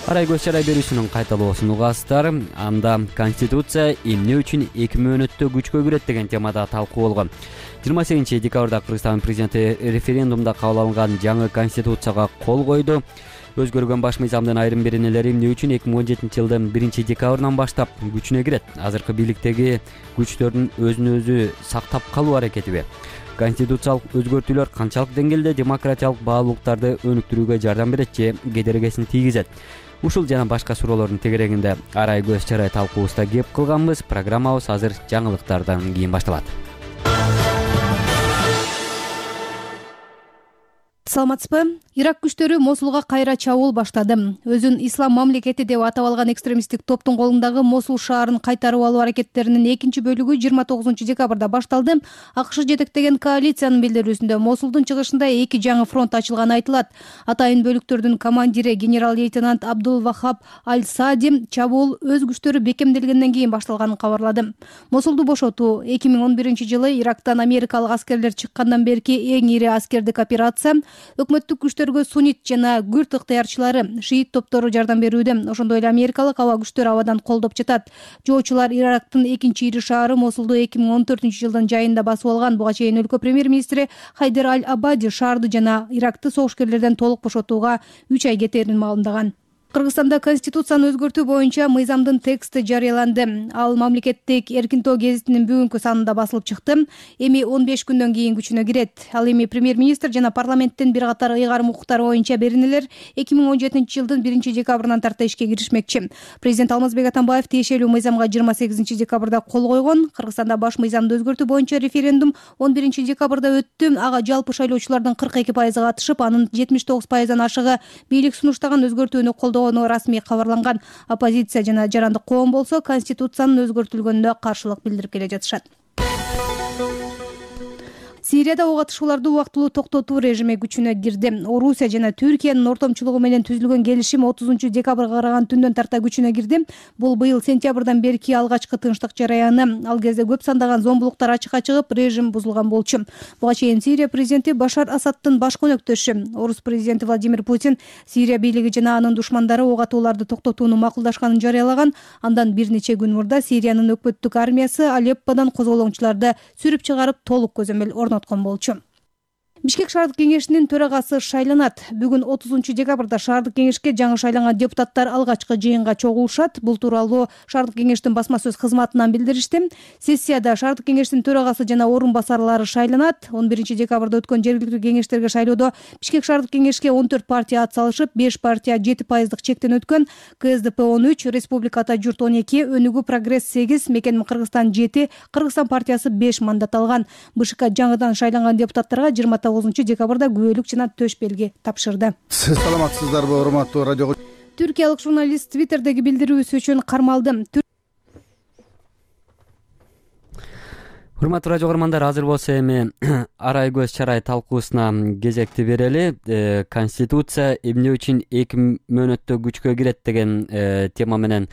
арай көз чарай берүүсүнүн кайталоосун угасыздар. Анда Конституция эмне үчүн эки мөөнөттө күчкө кирет деген темада талкуу болгон. жыйырма сегизинчи декабрда Кыргызстан президенти референдумда кабыл алынган жаңы Конституцияга кол койду. Өзгөргөн баш мыйзамдын айрым беренелери эмне үчүн эки миң он жетинчи жылдын биринчи декабрынан баштап күчүнө кирет? Азыркы бийликтеги күчтөрдүн өзүн өзү сактап калуу аракетиби? Конституциялык өзгөртүүлөр канчалык деңгээлде демократиялык баалуулуктарды өнүктүрүүгө жардам берет же кедергисин тийгизет? Ушул жана башка суроолордун тегерегинде арай көз чарай талкуубузда кеп кылганбыз. Программабыз азыр жаңылыктардан кийин башталат. Саламатсызбы? Ирак күчтөрү Мосулга кайра чабуул баштады. Өзүн ислам мамлекети деп атап алган экстремисттик топтун колундагы Мосул шаарын кайтарып алуу аракеттеринин экинчи бөлүгү жыйырма тогузунчу декабрда башталды. АКШ жетектеген коалициянын билдирүүсүндө Мосулдун чыгышында эки жаңы фронт ачылганы айтылат. Атайын бөлүктөрдүн командири генерал-лейтенант Абдул Вахаб Аль-Сади чабуул өз күчтөрү бекемделгенден кийин башталганын кабарлады. Мосулду бошотуу эки миң он биринчи жылы Ирактан америкалык аскерлер чыккандан берки эң ири аскердик операция. Өкмөттүк күчтөргө суннит жана күрд ыктыярчылары, шиит топтору жардам берүүдө. Ошондой эле америкалык аба күчтөрү абадан колдоп жатат. Жоочулар Ирактын экинчи ири шаары Мосулду эки миң он төртүнчү жылдын жайында басып алган. Буга чейин өлкө премьер-министри Хайдер Аль-Абади шаарды жана Иракты согушкерлерден толук бошотууга үч ай кетээрин маалымдаган. Кыргызстанда конституцияны өзгөртүү боюнча мыйзамдын тексти жарыяланды. Ал мамлекеттик Эркинтоо гезитинин бүгүнкү санында басылып чыкты. Эми он беш күндөн кийин күчүнө кирет. Ал эми премьер-министр жана парламенттин бир катар ыйгарым укуктары боюнча беренелер эки миң он жетинчи жылдын биринчи декабрынан тарта ишке киришмекчи. Президент Алмазбек Атамбаев тиешелүү мыйзамга жыйырма сегизинчи декабрда кол койгон. Кыргызстанда баш мыйзамды өзгөртүү боюнча референдум он биринчи декабрда өттү. Ага жалпы шайлоочулардын кырк эки пайызы катышып, анын жетимиш тогуз пайыздан ашыгы бийлик сунуштаган өзгөртүүнү колдоо расмий кабарланган. Оппозиция жана жарандык коом болсо конституциянын өзгөртүлгөнүнө каршылык билдирип келе жатышат. Сирияда ок атышууларды убактылуу токтотуу режими күчүнө кирди. Орусия жана Түркиянын ортомчулугу менен түзүлгөн келишим отузунчу декабрга караган түндөн тарта күчүнө кирди. Бул быйыл сентябрдан берки алгачкы тынчтык жараяны. Ал кезде көп сандаган зомбулуктар ачыкка чыгып, режим бузулган болчу. Буга чейин Сирия президенти Башар Асадтын баш өнөктөшү, орус президенти Владимир Путин Сирия бийлиги жана анын душмандары ок атууларды токтотууну макулдашканын жарыялаган. Андан бир нече күн мурда Сириянын өкмөттүк армиясы Алепподан козголоңчуларды сүрүп чыгарып, толук көзөмөл орноткон болчу. Бишкек шаардык кеңешинин төрагасы шайланат. Бүгүн отузунчу декабрда шаардык кеңешке жаңы шайланган депутаттар алгачкы жыйынга чогулушат. Бул тууралуу шаардык кеңештин басма сөз кызматынан билдиришти. Сессияда шаардык кеңештин төрагасы жана орун басарлары шайланат. он биринчи декабрда өткөн жергиликтүү кеңештерге шайлоодо Бишкек шаардык кеңешке он төрт партия ат салышып, беш партия жети пайыздык чектен өткөн. КСДП он үч, Республика Ата журт он эки, Өнүгүү Прогресс сегиз, Мекеним Кыргызстан жети, Кыргызстан партиясы беш мандат алган. БШК жаңыдан шайланган депутаттарга жыйырма тогузунчу декабрда күбөлүк жана төш белги тапшырды. Саламатсыздарбы, урматтуу радио. Түркиялык журналист Твиттердеги билдирүүсү үчүн кармалды. Урматтуу радио көрөрмандар, азыр болсо эми арай көз чарай талкуусуна кезекти берели. Конституция эмне үчүн эки мөөнөттө күчкө кирет деген тема менен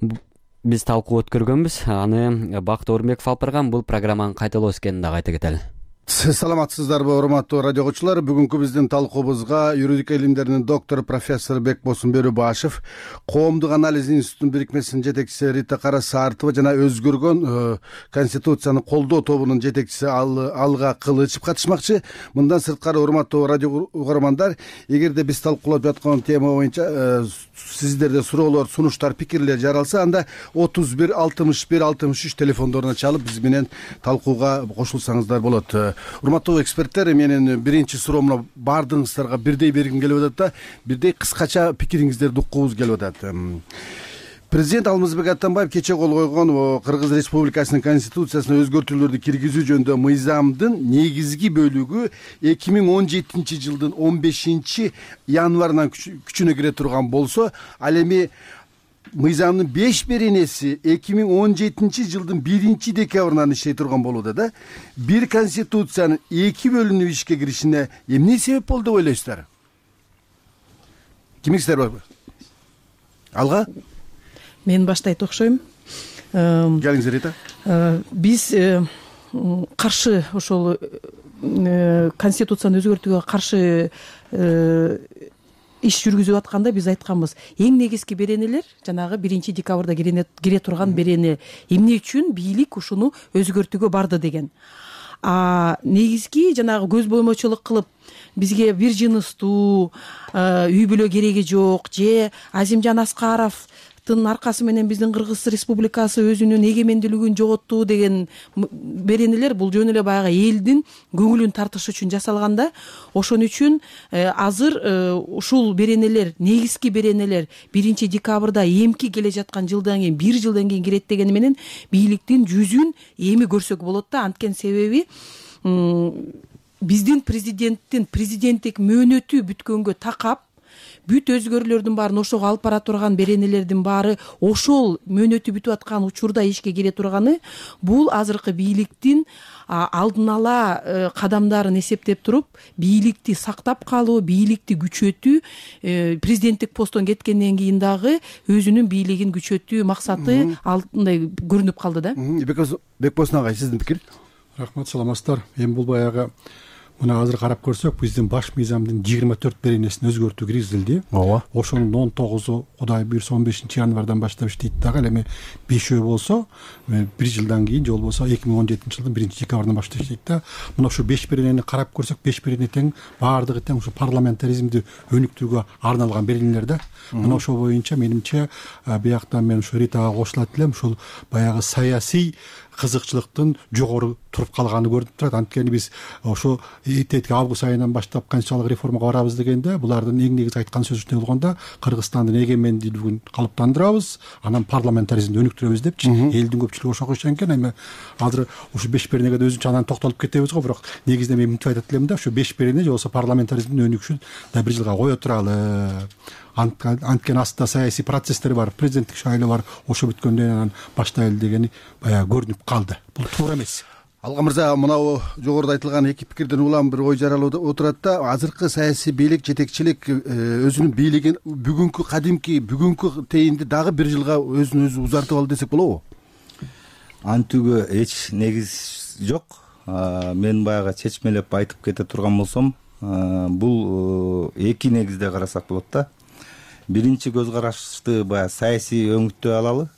биз талкуу өткөргөнбүз. Аны Бакыт Орунбеков алып барган. Бул программанын кайталоосу экенин дагы айта кетели. Саламатсыздарбы, урматтуу радио окуучулар. Бүгүнкү биздин талкуубузга юридика илимдеринин доктору профессор Бекбосун Бөрүбашев, Коомдук анализ институтунун бирикмесинин жетекчиси Рита Карасартова жана өзгөргөн Конституцияны колдоо тобунун жетекчиси Алга Кылычев катышмакчы. Мындан сырткары, урматтуу радио көрөрмандар, эгерде биз талкуулап жаткан тема боюнча сиздерде суроолор, сунуштар, пикирлер жаралса, анда отуз бир алтымыш бир алтымыш үч телефондоруна чалып биз менен талкууга кошулсаңыздар болот. урматтуу эксперттер, менин биринчи суроомо баардыгыңыздарга бирдей бергим келип атат да, бирдей кыскача пикириңиздерди уккубуз келип атат. Президент Алмазбек Атамбаев кече кол койгон Кыргыз Республикасынын конституциясына өзгөртүүлөрдү киргизүү жөнүндө мыйзамдын негизги бөлүгү эки миң он жетинчи жылдын он бешинчи январынан күчүнө кире турган болсо, ал эми мыйзамдын беш беренеси эки миң он жетинчи жылдын биринчи декабрынан иштей турган болууда да. Бир конституциянын эки бөлүнүп ишке киришине эмне себеп болду деп ойлойсуздар? Кимиңиздер бар? Алга? Мен баштайт окшойм. Келиңиз Рита. Биз каршы ошол конституцияны өзгөртүүгө каршы иш жүргүзүп атканда биз айтканбыз, эң негизги беренелер жанагы биринчи декабрда кире турган берене. Эмне үчүн бийлик ушуну өзгөртүүгө барды деген. А негизги жанагы көз боймочулук кылып бизге бир жыныстуу үй бүлө кереги жок же Азимжан Аскаров аркасы менен биздин Кыргыз Республикасы өзүнүн эгемендүүлүгүн жоготту деген беренелер бул жөн эле баягы элдин көңүлүн тартыш үчүн жасалганда, ошон үчүн азыр ушул беренелер, негизги беренелер биринчи декабрда эмки келе жаткан жылдан кийин, бир жылдан кийин кирет дегени менен бийликтин жүзүн эми көрсөк болот да. Анткени себеби биздин президенттин президенттик мөөнөтү бүткөнгө такап, бүт өзгөрүүлөрдүн баарын ошого алып бара турган беренелердин баары ошол мөөнөтү бүтүп аткан учурда ишке кире турганы, бул азыркы бийликтин алдын ала кадамдарын эсептеп туруп, бийликти сактап калуу, бийликти күчөтүү, президенттик посттон кеткенден кийин дагы өзүнүн бийлигин күчөтүү максаты алтындай көрүнүп калды да. Бекбосын агай, сиздин пикир? Рахмат, саламатсыздар. Эми бул баягы мына азыр карап көрсөк, биздин баш мыйзамдын жыйырма төрт беренесин өзгөртүү киргизилди. Ооба. Ошонун он тогузу Кудай буйрса он бешинчи январдан баштап иштейт дагы. Ал эми бешөө болсо бир жылдан кийин, же болбосо эки миң он жетинчи жылдын биринчи декабрынан баштап иштейт да. Мына ушу беш беренени карап көрсөк, беш берене тең, баардыгы тең ушу парламентаризмди өнүктүүгө арналган беренелер да. Мына ошол боюнча менимче бияктан мен ушу Ритага кошулат элем, ушул баягы саясий кызыкчылыктын жогору туруп калганы көрүнүп турат. Анткени биз ошо этетки август айынан баштап конституциялык реформага барабыз дегенде, булардын эң негизи айткан сөзү эмне болгондо, Кыргызстандын эгемендүүлүгүн калыптандырабыз, анан парламентаризмди өнүктүрөбүз депчи. Элдин көпчүлүгү ошого ишенген экен. Эми азыр ушу беш беренеге да өзүнчө анан токтолуп кетебиз го, бирок негизинен мен мынтип айтат элем да, ушу беш берене же болбосо парламентаризмдин өнүгүшүн да бир жылга кое туралы. Анткени астында саясий процесстер бар, президенттик шайлоо бар, ошо бүткөндөн анан баштайлы дегени баягы көрүнүп калды. Бул туура эмес. Алга мырза, мынау жогоруда айтылган эки пикирден улам бир ой жаралып отурат да. Азыркы саясий бийлик, жетекчилик өзүнүн бийлигин бүгүнкү кадимки, бүгүнкү тейинди дагы бир жылга өзүн өзү узартып алды десек болобу? Антүүгө эч негиз жок. Мен баягы чечмелеп айтып кете турган болсом, бул эки негизде карасак болот да. Биринчи көз карашты баягы саясий өңүттөй алалы.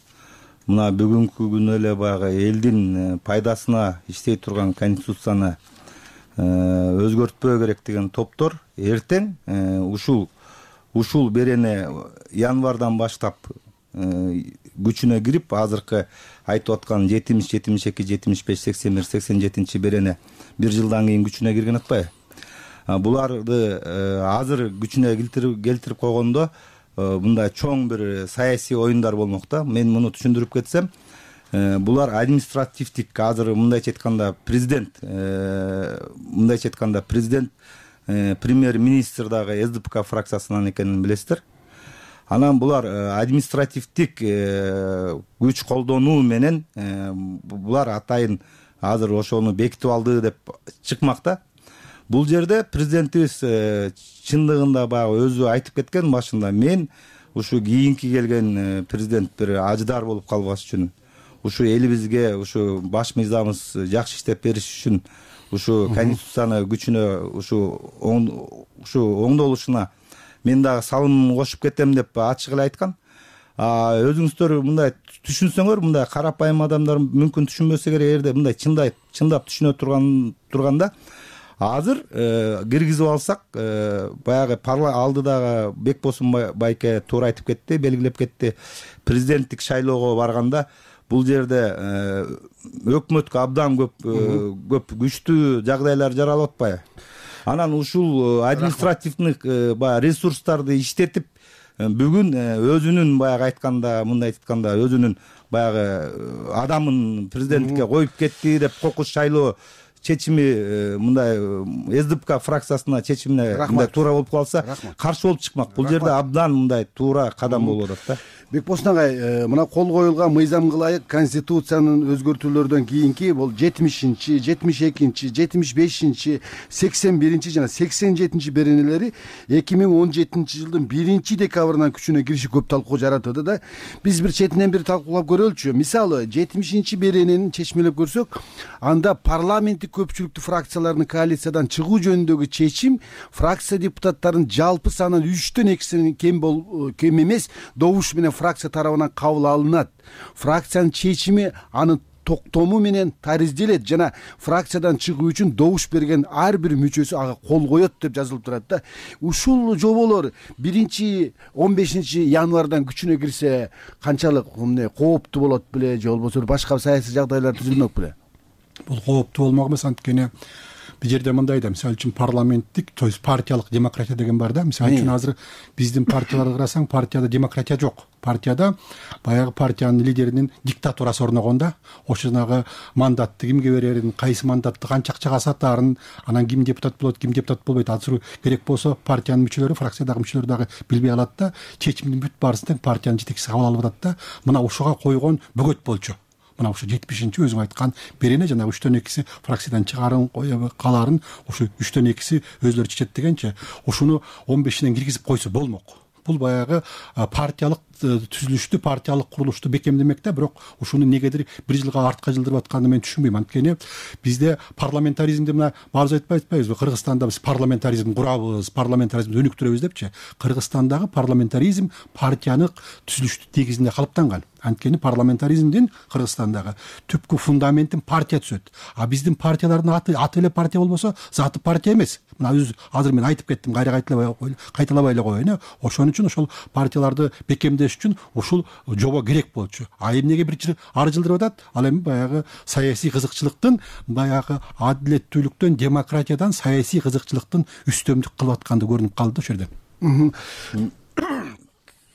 Мына бүгүнкү күнү эле баягы элдин пайдасына иштей турган конституцияны өзгөртпөө керек деген топтор эртең ушул ушул берене январдан баштап күчүнө кирип, азыркы айтып аткан жетимиш, жетимиш эки, жетимиш беш, сексен бир, сексен жетинчи берене бир жылдан кийин күчүнө кирген атпайбы? Буларды азыр күчүнө келтирип койгондо мындай чоң бир саясий оюндар болмок да. Мен муну түшүндүрүп кетсем, булар административдик, азыр мындайча айтканда президент, мындайча айтканда президент, премьер-министр дагы эс дэ пэ ка фракциясынан экенин билесиздер. Анан булар административдик күч колдонуу менен булар атайын азыр ошону бекитип алды деп чыкмакта. Бул жерде президентибиз чындыгында баягы өзү айтып кеткен башында, мен ушу кийинки келген президент бир ажыдар болуп калбаш үчүн, ушу элибизге ушу баш мыйзамыбыз жакшы иштеп бериш үчүн, ушу конституцияны күчүнө ушу ушу оңдолушуна мен дагы салымымды кошуп кетем деп ачык эле айткан. Өзүңүздөр мындай түшүнсөңөр, мындай карапайым адамдар мүмкүн түшүнбөсө керек, эгерде мындай чындап чындап түшүнө турган турганда азыр киргизип алсак, баягы алдыдагы Бекбосун байке туура айтып кетти, белгилеп кетти. Президенттик шайлоого барганда бул жерде өкмөткө абдан көп көп күчтүү жагдайлар жаралып атпайбы? Анан ушул административдик баягы ресурстарды иштетип бүгүн өзүнүн баягы айтканда, мындай айтканда өзүнүн баягы адамын президенттикке коюп кетти деп кокус шайлоо чечими мындай СДПК фракциясына чечимине мындай туура болуп калса, каршы болуп чыкмак. Бул жерде абдан мындай туура кадам болуп атат да. Бекбосын агай, мына кол коюлган мыйзамга ылайык конституциянын өзгөртүүлөрдөн кийинки бул жетимишинчи, жетимиш экинчи, жетимиш бешинчи, сексен биринчи жана сексен жетинчи беренелери эки миң он жетинчи жылдын биринчи декабрынан күчүнө кириши көп талкуу жаратты да. Биз бир четинен бир талкуулап көрөлүчү. Мисалы, жетимишинчи беренени чечмелеп көрсөк, анда парламенттик көпчүлүктүү фракциялардын коалициядан чыгуу жөнүндөгү чечим фракция депутаттарынын жалпы санынын үчтөн экисинен кем бол кем эмес добуш менен фракция тарабынан кабыл алынат. Фракциянын чечими анын токтому менен таризделет жана фракциядан чыгуу үчүн добуш берген ар бир мүчөсү ага кол коет деп жазылып турат да. Ушул жоболор биринчи он бешинчи январдан күчүнө кирсе канчалык эмне кооптуу болот беле, же болбосо башка саясий жагдайлар түзүлмөк беле? Бул кооптуу болмок эмес, анткени бул жерде мындай да, мисалы үчүн парламенттик, то есть партиялык демократия деген бар да. Мисалы үчүн азыр биздин партияларды карасаң, партияда демократия жок. Партияда баягы партиянын лидеринин диктатурасы орногон да. Ошо жанагы мандатты кимге берерин, кайсы мандатты канча акчага сатаарын, анан ким депутат болот, ким депутат болбойт, азыр керек болсо партиянын мүчөлөрү, фракциядагы мүчөлөр дагы билбей алат да. Чечимдин бүт баарысын тең партиянын жетекчиси кабыл алып атат да. Мына ушуга койгон бөгөт болчу. Мына ушу жетимишинчи өзүң айткан берене жана үчтөн экиси фракциядан чыгарын каларын ушу үчтөн экиси өзлөрү чечет дегенче, ушуну он бешинен киргизип койсо болмок. Бул баягы партиялык түзүлүштү, партиялык курулушту бекемдемек да, бирок ушуну негедир бир жылга артка жылдырып атканын мен түшүнбөйм. Анткени бизде парламентаризмди мына баарыбыз айтпай атпайбызбы, Кыргызстанда биз парламентаризм курабыз, парламентаризмди өнүктүрөбүз депчи. Кыргызстандагы парламентаризм партиянын түзүлүштү негизинде калыптанган. Анткени парламентаризмдин Кыргызстандагы түпкү фундаментин партия түзөт. А биздин партиялардын аты аты эле партия болбосо, заты партия эмес. Мына өз азыр мен айтып кеттим, кайра кайталабай кайталабай эле коеюн. Ошон үчүн ошол партияларды бекемдеш үчүн ушул жобо керек болчу. А эмнеге бир жыл ары жылдырып атат? Ал эми баягы саясий кызыкчылыктын, баягы адилеттүүлүктөн, демократиядан саясий кызыкчылыктын үстөмдүк кылып атканды көрүнүп калды ошол жерде.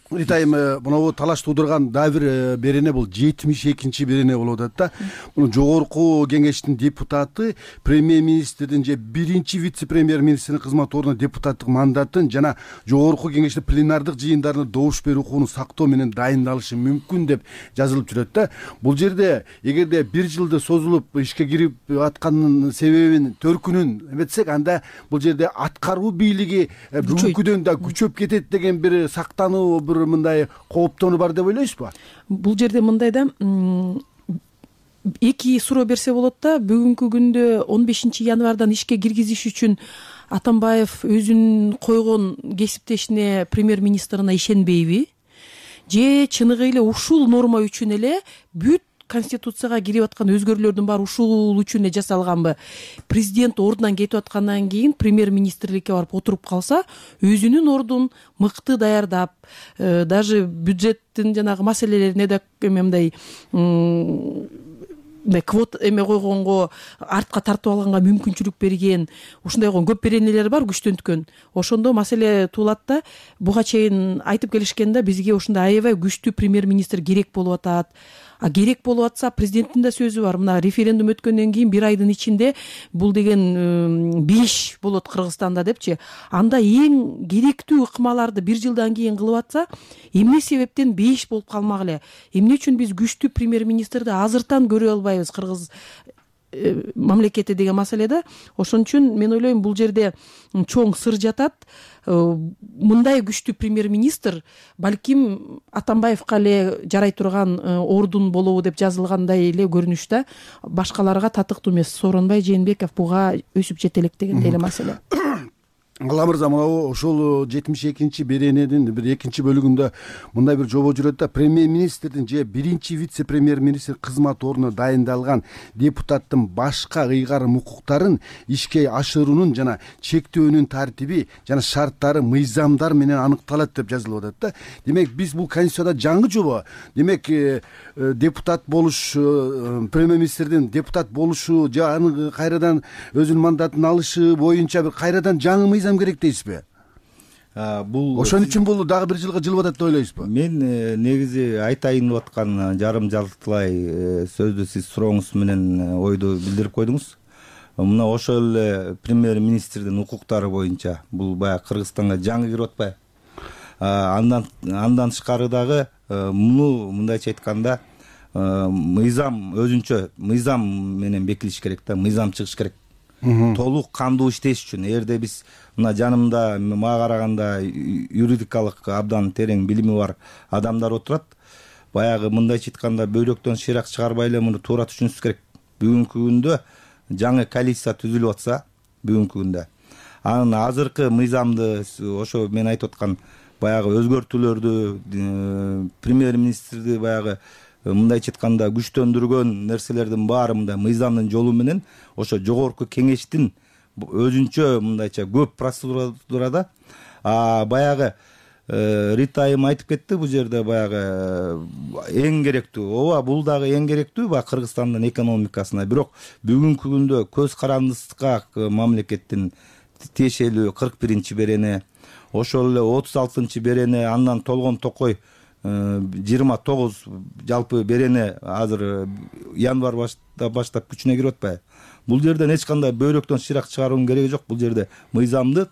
Итайым, мына талаш туудурган дагы бир берене бул жетимиш экинчи берене болуп атат да. Муну жогорку кеңештин депутаты премьер-министрдин же биринчи вице-премьер-министрдин кызмат ордуна депутаттык мандатын жана жогорку кеңештин пленардык жыйындарына добуш берүү укугун сактоо менен дайындалышы мүмкүн деп жазылып жүрөт да. Бул жерде эгерде бир жылды созулуп ишке кирип атканын себебин, төркүнүн эметсек, анда бул жерде аткаруу бийлиги бүгүнкүдөн да күчөп кетет деген бир сактануу, бир мындай кооптонуу бар деп ойлойсузбу? Бул жерде мындай да, эки суроо берсе болот да. Бүгүнкү күндө он бешинчи январдан ишке киргизиш үчүн Атамбаев өзүнүн койгон кесиптешине, премьер-министрине ишенбейби? Же чыныгы эле ушул норма үчүн эле бүт конституцияга кирип аткан өзгөрүүлөрдүн баары ушул үчүн эле жасалганбы? Президент ордунан кетип аткандан кийин премьер-министрликке барып отуруп калса, өзүнүн ордун мыкты даярдап, даже бюджеттин жанагы маселелерине да мындай квот эме койгонго, артка тартып алганга мүмкүнчүлүк берген, ушундай койгон көп беренелер бар күчтөнткөн. Ошондо маселе туулат да. Буга чейин айтып келишкен да, бизге ушундай аябай күчтүү премьер-министр керек болуп атат. А керек болуп атса, президенттин да сөзү бар. Мына референдум өткөндөн кийин бир айдын ичинде бул деген беш болот Кыргызстанда депчи. Анда эң керектүү ыкмаларды бир жылдан кийин кылып атса, эмне себептен беш болуп калмак эле? Эмне үчүн биз күчтүү премьер-министрди азыртан көрө албайбыз Кыргыз мамлекети деген маселеде? Ошон үчүн мен ойлойм, бул жерде чоң сыр жатат. Мындай күчтүү премьер-министр балким Атамбаевка эле жарай турган ордун болобу деп жазылгандай эле көрүнүштө. Башкаларга татыктуу эмес. Сооронбай Жээнбеков буга өсүп жетелек дегендей эле маселе. ала мырза, мына ошол жетимиш экинчи беренедин бир экинчи бөлүгүндө мындай бир жобо жүрөт да: премьер-министрдин же биринчи вице-премьер-министр кызмат ордуна дайындалган депутаттын башка ыйгарым укуктарын ишке ашыруунун жана чектөөнүн тартиби жана шарттары мыйзамдар менен аныкталат деп жазылып атат да. Демек биз бул конституцияда жаңы жобо. Демек депутат болуш, премьер-министрдин депутат болушу же аны кайрадан өзүнүн мандатын алышы боюнча бир кайрадан жаңы мыйзам керек дейсизби? Бул ошон үчүн бул дагы бир жылга жылып атат деп ойлойсузбу? Мен негизи айтайын деп аткан жарым жалтылай сөздү сиз сурооңуз менен ойду билдирип койдуңуз. Мына ошол эле премьер-министрдин укуктары боюнча бул баягы Кыргызстанга жаңы кирип атпайбы? Андан андан тышкары дагы муну мындайча айтканда мыйзам өзүнчө мыйзам менен бекилиш керек да, мыйзам чыгыш керек. Толук кандуу иштеш үчүн. Эгерде биз мына жанымда мага караганда юридикалык абдан терең билими бар адамдар отурат, баягы мындайча айтканда бөйрөктөн шыйрак чыгарбай эле муну туура түшүнүш керек. Бүгүнкү күндө жаңы коалиция түзүлүп атса, бүгүнкү күндө анын азыркы мыйзамды ошо мен айтып аткан баягы өзгөртүүлөрдү, премьер-министрди баягы мындайча айтканда күчтөндүргөн нерселердин баары мындай мыйзамдын жолу менен ошо жогорку кеңештин өзүнчө мындайча көп процедурада баягы Рита айым айтып кетти бул жерде баягы эң керектүү. Ооба, бул дагы эң керектүү баягы Кыргызстандын экономикасына. Бирок бүгүнкү күндө көз карандысыкка мамлекеттин тиешелүү кырк биринчи берене, ошол эле отуз алтынчы берене, андан толгон токой жыйырма тогуз жалпы берене азыр январь баштап күчүнө кирип атпайбы? Бул жерден эч кандай бөйрөктөн шыйрак чыгаруунун кереги жок. Бул жерде мыйзамды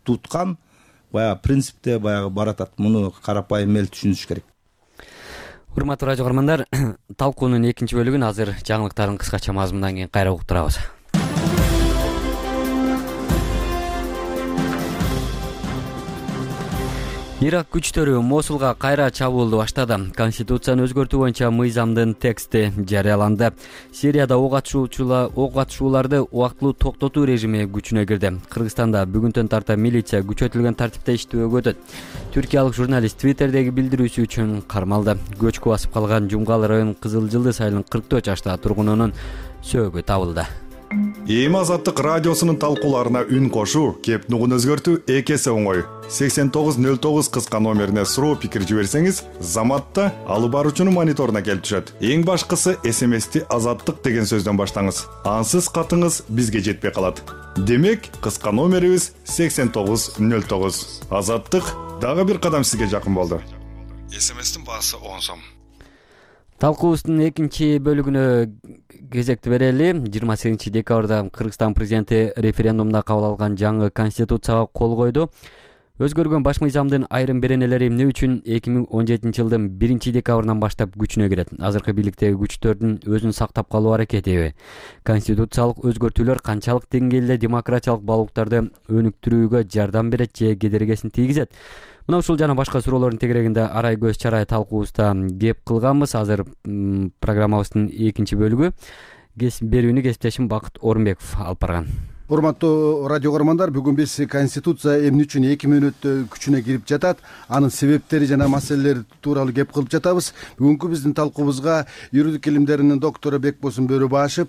туткан баягы принципте баягы баратат. Муну карапайым эл түшүнүш керек. Урматтуу радио көрөрмандар, талкуунун экинчи бөлүгүн азыр жаңылыктардын кыскача мазмунунан кийин кайра угуп турабыз. Ирак күчтөрү Мосулга кайра чабуулду баштады. Конституцияны өзгөртүү боюнча мыйзамдын тексти жарыяланды. Сирияда ок атышуулар ок атышууларды убактылуу токтотуу режими күчүнө кирди. Кыргызстанда бүгүнтөн тарта милиция күчөтүлгөн тартипте иштөөгө өтөт. Түркиялык журналист Твиттердеги билдирүүсү үчүн кармалды. Көчкү басып калган Жумгал районунун Кызыл Жылдыз айылынын кырк төрт жаштагы тургунунун сөөгү табылды. Эми Азаттык радиосунун талкууларына үн кошуу, кеп нугун өзгөртүү эки эсе оңой. сексен тогуз нөл тогуз кыска номерине суроо пикир жиберсеңиз, Заматта алып баруучунун мониторуна келип түшөт. Эң башкысы эс эм эсти Азаттык деген сөздөн баштаңыз. Ансыз катыңыз бизге жетпей калат. Демек, кыска номерибиз сексен тогуз нөл тогуз. Азаттык дагы бир кадам сизге жакын болду. эс эм эстин баасы он сом. Талкуубуздун экинчи бөлүгүнө кезекти берели. жыйырма сегизинчи декабрда Кыргызстан президенти референдумда кабыл алган жаңы конституцияга кол койду. Өзгөргөн баш мыйзамдын айрым беренелери эмне үчүн эки миң он жетинчи жылдын биринчи декабрынан баштап күчүнө кирет? Азыркы бийликтеги күчтөрдүн өзүн сактап калуу аракетиби? Конституциялык өзгөртүүлөр канчалык деңгээлде демократиялык баалуулуктарды өнүктүрүүгө жардам берет же кедергесин тийгизет? Мына ушул жана башка суроолордун тегерегинде арай көз чарай талкуубузда кеп кылганбыз. Азыр программабыздын экинчи бөлүгү берүүнү кесиптешим Бакыт Орунбеков алып барган. Урматтуу радио көрөрмандар, бүгүн биз конституция эмне үчүн эки мүнөттө күчүнө кирип жатат, анын себептери жана маселелери тууралуу кеп кылып жатабыз. Бүгүнкү биздин талкуубузга юридика илимдеринин доктору Бекбосун Бөрүбашев,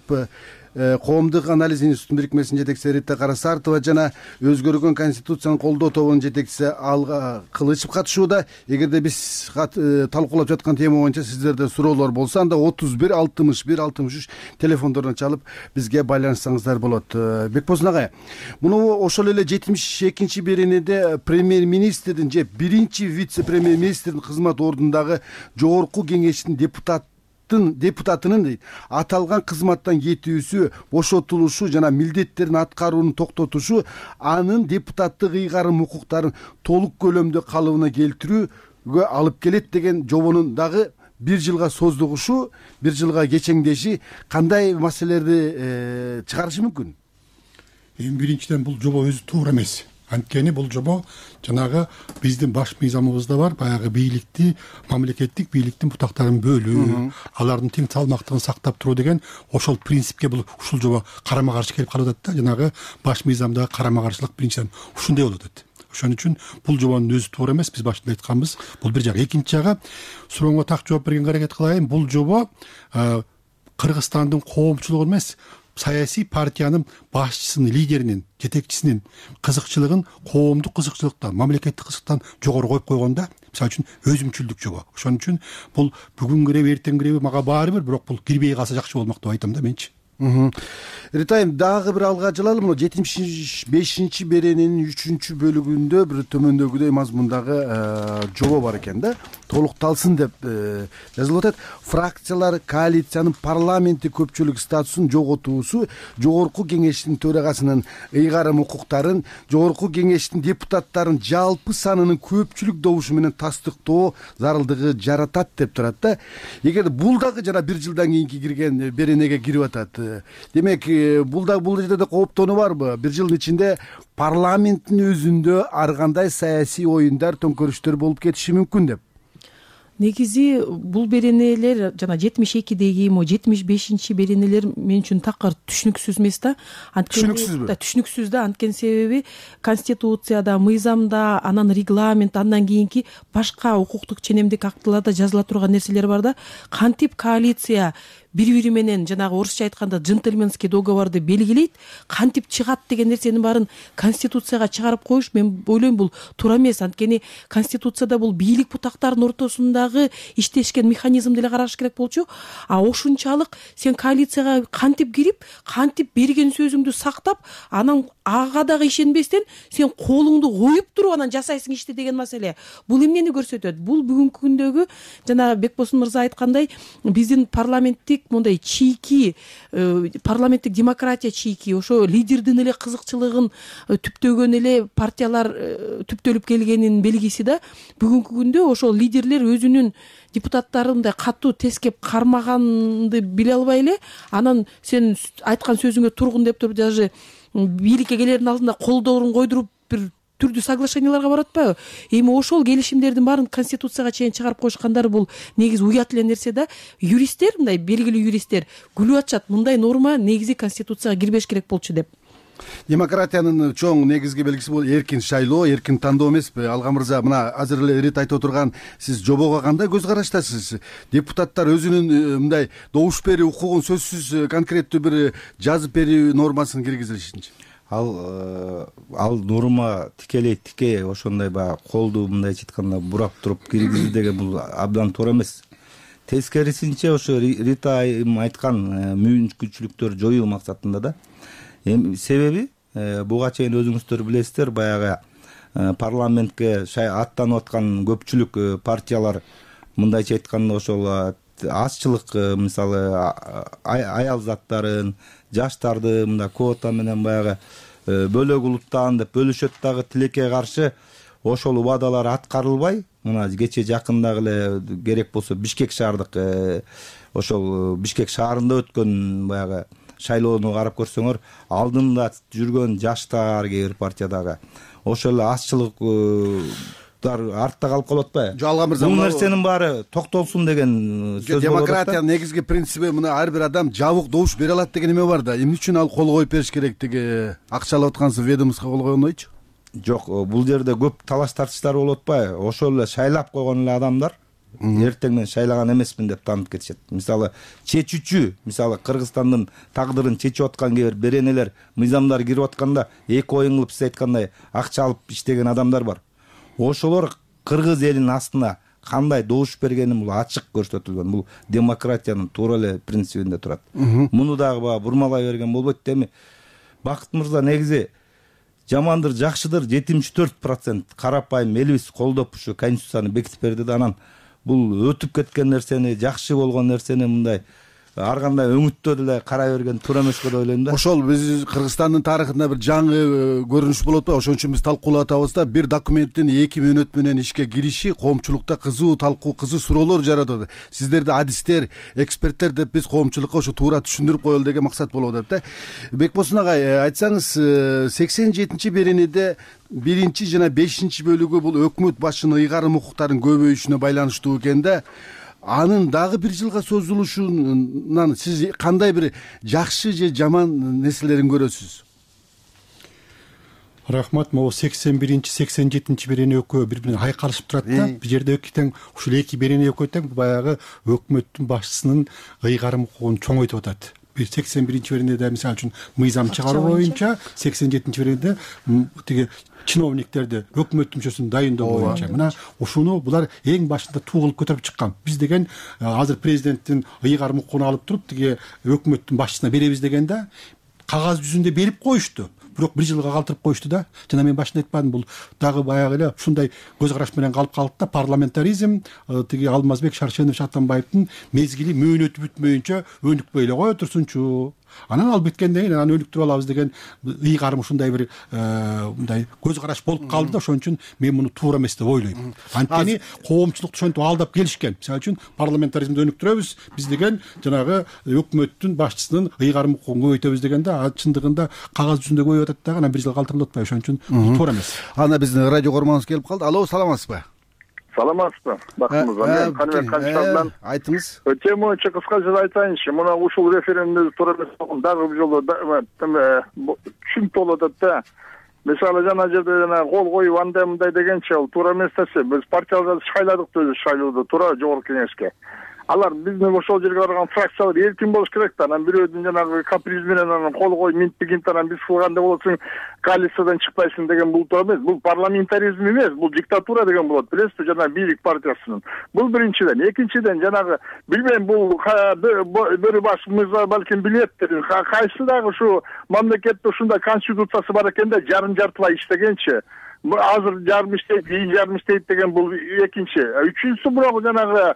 коомдук анализ институтунун бирикмесинин жетекчиси Рита Карасартова жана өзгөргөн конституцияны колдоо тобунун жетекчиси Алга Кылычев катышууда. Эгерде биз талкуулап жаткан тема боюнча сиздерде суроолор болсо, анда отуз бир алтымыш бир алтымыш үч телефондордон чалып бизге байланышсаңыздар болот. Бекбосун агай, муну ошол эле жетимиш экинчи беренеде премьер-министрдин же биринчи вице-премьер-министрдин кызмат ордундагы жогорку кеңештин депутат депутатынын аталган кызматтан кетүүсү, бошотулушу жана милдеттерин аткарууну токтотушу анын депутаттык ыйгарым укуктарын толук көлөмдө калыбына келтирүүгө алып келет деген жобонун дагы бир жылга создугушу, бир жылга кечеңдеши кандай маселелерди чыгарышы мүмкүн? Эми биринчиден бул жобо өзү туура эмес. анткени бул жобо жанагы биздин баш мыйзамыбызда бар, баягы бийликти, мамлекеттик бийликтин бутактарын бөлүү, алардын тең салмактыгын сактап туруу деген ошол принципке бул ушул жобо карама каршы келип калып атат да. Жанагы баш мыйзамдагы карама каршылык биринчиден ушундай болуп атат. Ошон үчүн бул жобонун өзү туура эмес, биз башында айтканбыз. Бул бир жак. Экинчи жагы, сурооңо так жооп бергенге аракет кылайын. Бул жобо Кыргызстандын коомчулугу эмес, саясий партиянын башчысынын, лидеринин, жетекчисинин кызыкчылыгын коомдук кызыкчылыктан, мамлекеттик кызыкчылыктан жогору коюп койгонда, мисалы үчүн өзүмчүлдүк жобо. Ошон үчүн бул бүгүн киреби, эртең киреби мага баары бир, бирок бул кирбей калса жакшы болмок деп айтам да менчи. Ритайым, дагы бир алга жылалы. Мына жетимиш бешинчи берененин үчүнчү бөлүгүндө бир төмөндөгүдөй мазмундагы жобо бар экен да. Толукталсын деп жазылып атат. Фракциялар коалициянын парламенттик көпчүлүк статусун жоготуусу, жогорку кеңештин төрагасынын ыйгарым укуктарын, жогорку кеңештин депутаттарын жалпы санынын көпчүлүк добушу менен тастыктоо зарылдыгы жаратат деп турат да. Эгер бул дагы жана бир жылдан кийинки кирген беренеге кирип атат. Демек, бул да бул жерде да кооптонуу барбы? Бир жылдын ичинде парламенттин өзүндө ар кандай саясий оюндар, төңкөрүштөр болуп кетиши мүмкүн деп. Негизи бул беренелер жана жетимиш экидеги, мо жетимиш бешинчи беренелер мен үчүн такыр түшүнүксүз эмес да. Түшүнүксүзбү? Да, түшүнүксүз да. Анткени себеби конституцияда, мыйзамда, анан регламент, андан кийинки башка укуктук ченемдик актыларда жазыла турган нерселер бар да. Кантип коалиция бири-бири менен жанагы орусча айтканда джентльменский договорду белгилейт, кантип чыгат деген нерсенин баарын конституцияга чыгарып коюш, мен ойлойм бул туура эмес. Анткени конституцияда бул бийлик бутактарынын ортосундагы иштешкен механизмди эле караш керек болчу. А ошунчалык сен коалицияга кантип кирип, кантип берген сөзүңдү сактап, анан ага дагы ишенбестен сен колуңду коюп туруп анан жасайсың ишти деген маселе. Бул эмнени көрсөтөт? Бул бүгүнкү күндөгү жана Бекбосын мырза айткандай, биздин парламенттик мондай чийки, парламенттик демократия чийки, ошо лидердин эле кызыкчылыгын түптөгөн эле партиялар түптөлүп келгенин белгиси да. Бүгүнкү күндө ошол лидерлер өзүнүн депутаттарындай катуу тескеп кармаганды биле албай эле, анан сен айткан сөзүңө тургун деп туруп даже бийликке келердин алдында колдорун койдуруп бир түрдүү соглашенияларга барып атпайбы? Эми ошол келишимдердин баарын конституцияга чейин чыгарып коюшкандары бул негизи уят эле нерсе да. Юристтер, мындай белгилүү юристтер күлүп атышат, мындай норма негизи конституцияга кирбеш керек болчу деп. Демократиянын чоң негизги белгиси бул эркин шайлоо, эркин тандоо эмеспи? Алга мырза, мына азыр эле Рит айтып отурган, сиз жобого кандай көз караштасыз? Депутаттар өзүнүн мындай добуш берүү укугун сөзсүз конкреттүү бир жазып берүү нормасын киргизилишинчи? Ал ал норма тикелей тике ошондой баягы колду мындайча айтканда бурап туруп киргизүү деген бул абдан туура эмес. Тескерисинче ошо Рита айым айткан мүмкүнчүлүктөрдү жоюу максатында да. Эми себеби буга чейин өзүңүздөр билесиздер, баягы парламентке аттанып аткан көпчүлүк партиялар мындайча айтканда ошол азчылык, мисалы аял заттарын, жаштарды мындай квота менен баягы бөлөк улуттан деп бөлүшөт дагы, тилекке каршы ошол убадалар аткарылбай, мына кече жакындагы эле керек болсо Бишкек шаардык ошол Бишкек шаарында өткөн баягы шайлоону карап көрсөңөр, алдында жүргөн жаштар кээ бир партиядагы ошол эле азчылык артта калып калып атпайбы? Жок, Алга мырза, бул нерсенин баары токтолсун деген сөз. Демократиянын негизги принциби мына ар бир адам жабык добуш бере алат деген эме бар да. Эмне үчүн ал кол коюп бериш керектиги акчалап аткансыз ведомство кол койгондойчу? Жок, бул жерде көп талаш тартыштар болуп атпайбы? Ошол эле шайлап койгон эле адамдар эртең мен шайлаган эмесмин деп таанып кетишет. Мисалы чечүүчү, мисалы Кыргызстандын тагдырын чечип аткан кээ бир беренелер, мыйзамдар кирип атканда эки оюн кылып сиз айткандай акча алып иштеген адамдар бар. Ошолор кыргыз элинин астына кандай добуш бергени бул ачык көрсөтүлгөн. Бул демократиянын туура эле принцибинде турат. Муну дагы баягы бурмалай берген болбойт. Эми Бакыт мырза, негизи жамандыр, жакшыдыр жетимиш төрт процент карапайым элибиз колдоп ушу конституцияны бекитип берди да, анан бул өтүп кеткен нерсени, жакшы болгон нерсени мындай ар кандай өңүттө деле карай берген туура эмеспи деп ойлойм да. Ошол биз Кыргызстандын тарыхында бир жаңы көрүнүш болот да, ошон үчүн биз талкуулап атабыз да. Бир документтин эки мөөнөт менен ишке кириши коомчулукта кызуу талкуу, кызуу суроолор жаратат. Сиздерди адистер, эксперттер деп биз коомчулукка ошо туура түшүндүрүп коелу деген максат болуп атат да. Бекбосун агай, айтсаңыз, сексен жетинчи беренеде биринчи жана бешинчи бөлүгү бул өкмөт башчынын ыйгарым укуктарынын көбөйүшүнө байланыштуу экен да. Анын дагы бир жылга созулушунан сиз кандай бир жакшы же жаман нерселерин көрөсүз? Рахмат. Могу сексен биринчи сексен жетинчи берене экөө бири бирине айкалышып турат да. Бул жерде эки тең ушул эки берене экөө тең баягы өкмөттүн башчысынын ыйгарым укугун чоңойтуп атат. сексен биринчи беренеде мисалы үчүн мыйзам чыгаруу боюнча, сексен жетинчи беренеде тиги чиновниктерди өкмөт мүчөсүн дайындоо боюнча мына ушуну булар эң башында туу кылып көтөрүп чыккан. Биз деген азыр президенттин ыйгарым укугун алып туруп тиги өкмөттүн башчысына беребиз дегенде кагаз жүзүндө берип коюшту. Бирок бир жылга калтырып коюшту да. Жана мен башында айтпадым, бул дагы баягы эле ушундай көз караш менен калып калды да. Парламентаризм тиги Алмазбек Шаршенович Атамбаевдин мезгили мөөнөтү бүтмөйүнчө өнүкпөй эле кое турсунчу. Анан ал бүткөндөн кийин анан өнүктүрүп алабыз деген ыйгарым ушундай бир мындай көз караш болуп калды да. Ошон үчүн мен муну туура эмес деп ойлойм. Анткени коомчулукту ошентип алдап келишкен. Мисалы үчүн парламентаризмди өнүктүрөбүз биз деген жанагы өкмөттүн башчысынын ыйгарым укугун көбөйтөбүз дегенде а чындыгында кагаз жүзүндө көбөйүп атат дагы анан бир жыл калтырылып атпайбы. Ошон үчүн туура эмес. Анда биздин радио көрмөңүз келип калды. Алло, саламатсызбы? Саламатсызбы? Бактыңызбы? Мен Каныбек Канчтагынан. Айтыңыз. Тема боюнча кыскача айтайынчы. Мына ушул референдумду туура эмес болгон дагы бир жолу түшүнүп болуп атат да. Мисалы жана жерде жана кол коюп андай мындай дегенче ал туура эмес нерсе. Биз партияларды шайладык өзү шайлоодо туура жогорку кеңешке. Алар биздин ошол жерге барган фракциялар эркин болуш керек да. Анан бирөөдүн жанагы каприз менен анан кол коюп минтпигинт анан биз кылгандай болосуң коалициядан чыкпайсың деген бул туура эмес. Бул парламентаризм эмес, бул диктатура деген болот. Билесизби, жана бийлик партиясынын. Бул биринчиден. Экинчиден жанагы билбейм, бул бир баш мырза балким билеттир. Кайсы дагы ушу мамлекетте ушундай конституциясы бар экен да, жарым жартылай иштегенчи. Азыр жарым иштейт, кийин жарым иштейт деген бул экинчи. Үчүнчүсү бирок жанагы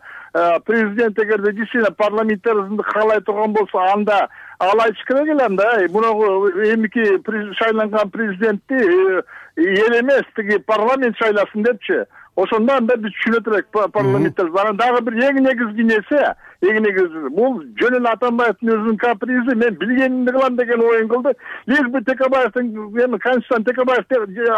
президент эгерде действительно парламентаризмди каалай турган болсо, анда ал айтыш керек эле анда мунагу эмики шайланган президентти эл эмес, тиги парламент шайласын депчи. Ошондо анда биз түшүнө турайык парламентаризм. Анан дагы бир эң негизги нерсе, эң негизги бул жөн эле Атамбаевдин өзүнүн капризи, мен билгенимди кылам деген оюн кылды. Лишь бы Текебаевдин эми конституциясын Текебаев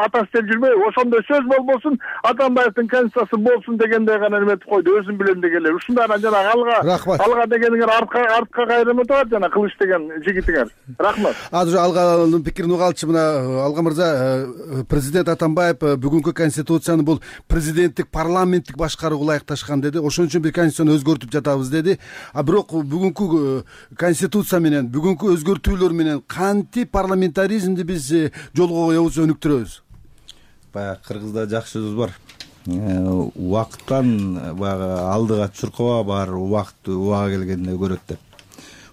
атасы деп жүрбөй, ошондой сөз болбосун, Атамбаевдин конституциясы болсун дегендей гана эметип койду, өзүм билем дегенлер. Ушундай анан жана алга алга дегениңер артка артка кайрым атат жана кылыч деген жигитиңер. Рахмат. Азыр алганын пикирин угалчы. Мына Алга мырза, президент Атамбаев бүгүнкү конституцияны бул президенттик парламенттик башкарууга ылайыкташкан деди. Ошон үчүн бир конституцияны өзгөртүп жатабыз деди. А бирок бүгүнкү конституция менен, бүгүнкү өзгөртүүлөр менен кантип парламентаризмди биз жолго коебуз, өнүктүрөбүз? Баягы кыргызда жакшы сөз бар. Убакыттан баягы алдыга чуркаба бар, убакыт убага келгенде көрөт деп.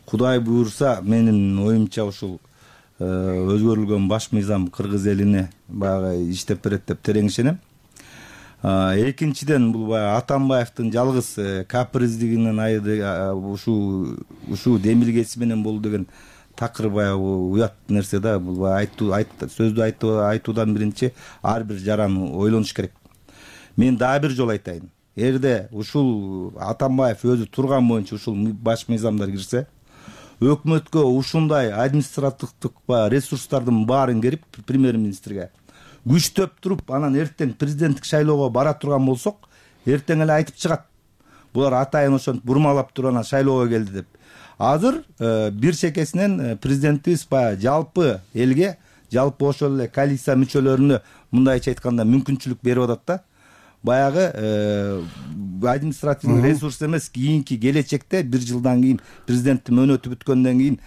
Кудай буйрса, менин оюмча ушул өзгөрүлгөн баш мыйзам кыргыз элине баягы иштеп берет деп терең ишенем. Экинчиден, бул баягы Атамбаевдин жалгыз каприздигинен айды ушул ушул демилгеси менен болду деген такыр баягы уят нерсе да. Бул баягы айтуу сөздү айтуудан биринчи ар бир жаран ойлонуш керек. Мен дагы бир жолу айтайын. Эгерде ушул Атамбаев өзү турган боюнча ушул баш мыйзамдар кирсе, өкмөткө ушундай административдик ресурстардын баарын берип премьер-министрге күчтөп туруп, анан эртең президенттик шайлоого бара турган болсок, эртең эле айтып чыгат. Булар атайын ошентип бурмалап туруп анан шайлоого келди деп. Азыр бир чекесинен президентибиз баягы жалпы элге, жалпы ошол эле коалиция мүчөлөрүнө мындайча айтканда мүмкүнчүлүк берип атат да. Баягы административдик ресурс эмес, кийинки келечекте бир жылдан кийин президенттин мөөнөтү бүткөндөн кийин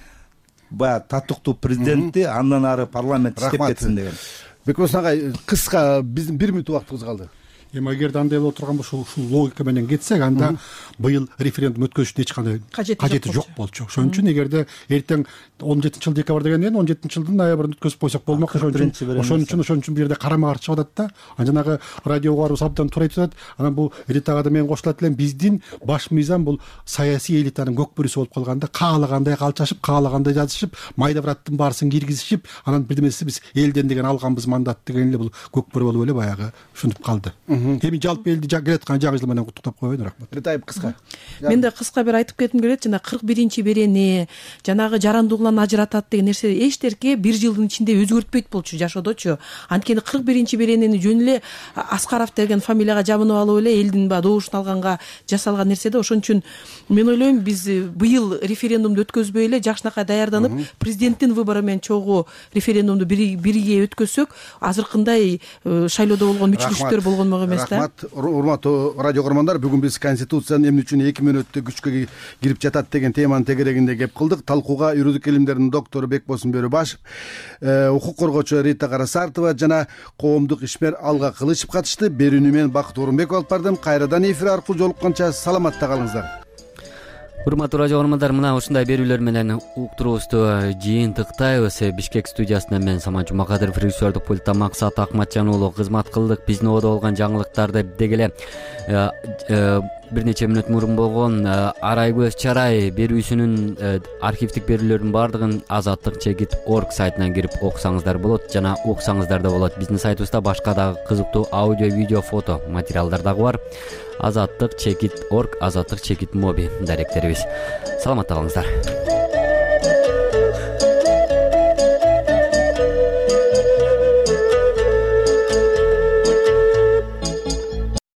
баягы татыктуу президентти, андан ары парламент иштеп кетсин деген. Бекбосун агай, кыска, биздин бир мүнөт убактыбыз калды. эми эгерде андай боло турган болсо ушул логика менен кетсек, анда быйыл референдум өткөзүштүн эч кандай кажети жок болчу. Ошон үчүн эгерде эртең он жетинчи жыл декабрь дегенден кийин он жетинчи жылдын ноябрында өткөзүп койсок болмок. Ошон үчүн ошон үчүн ошон үчүн бул жерде карама каршы чыгып атат да. Анан жанагы радио угарыбыз абдан туура айтып атат. Анан бул Ритага да мен кошулат элем, биздин баш мыйзам бул саясий элитанын көкбөрүсү болуп калганда, каалагандай калчашып, каалагандай жазышып, майда браттын баарысын киргизишип, анан бирдемеси биз элден деген алганбыз мандат деген эле бул көкбөрү болуп эле баягы ушинтип калды. Эми жалпы элди келаткан жаңы жыл менен куттуктап коеюн. Рахмат. Ретаев кыска. Мен да кыска бир айтып кетким келет. Жана кырк биринчи берене, жанагы жарандууларын ажыратат деген нерсе эчтерке бир жылдын ичинде өзгөртпөйт болчу жашоодочу. Анткени кырк биринчи беренени жөн эле Аскаров деген фамилияга жабынып алып эле элдин баягы добушун алганга жасалган нерсе да. Ошон үчүн мен ойлойм, биз быйыл референдумду өткөзбөй эле жакшынакай даярданып, президенттин выбору менен чогуу референдумду бирге өткөзсөк, азыркындай шайлоодо болгон үч күчтөр болгонмок эмес да. Рахмат. Урматтуу радио көрөрмандар, бүгүн биз Конституциянын эмне үчүн эки мүнөттө күчкө кирип жатат деген теманын тегерегинде кеп кылдык. Талкууга юридик илимдердин доктору Бекбосун Бөрүбашев, укук коргоочу Рита Карасартова жана коомдук ишмер Алга Кылычев катышты. Берүүнү мен Бакыт Орунбеков алып бардым. Кайрадан эфир аркылуу жолукканча саламатта калыңыздар. Урматтуу радио көрөрмандар, мына ушундай берүүлөр менен уктуруубузду жыйынтыктайбыз. Бишкек студиясынан мен Самат Жумакадыров, режиссердук пультта Максат Акматжан уулу кызмат кылдык. Биздин ободо болгон жаңылыктарды деги эле бир нече мүнөт мурун болгон Арай көз чарай берүүсүнүн архивдик берүүлөрдүн баардыгын азаттык чекит точка орг сайтынан кирип окусаңыздар болот жана уксаңыздар да болот. Биздин сайтыбызда башка дагы кызыктуу аудио, видео, фото материалдар дагы бар. азаттык чекит точка орг, азаттык чекит моби даректерибиз. Саламатта калыңыздар.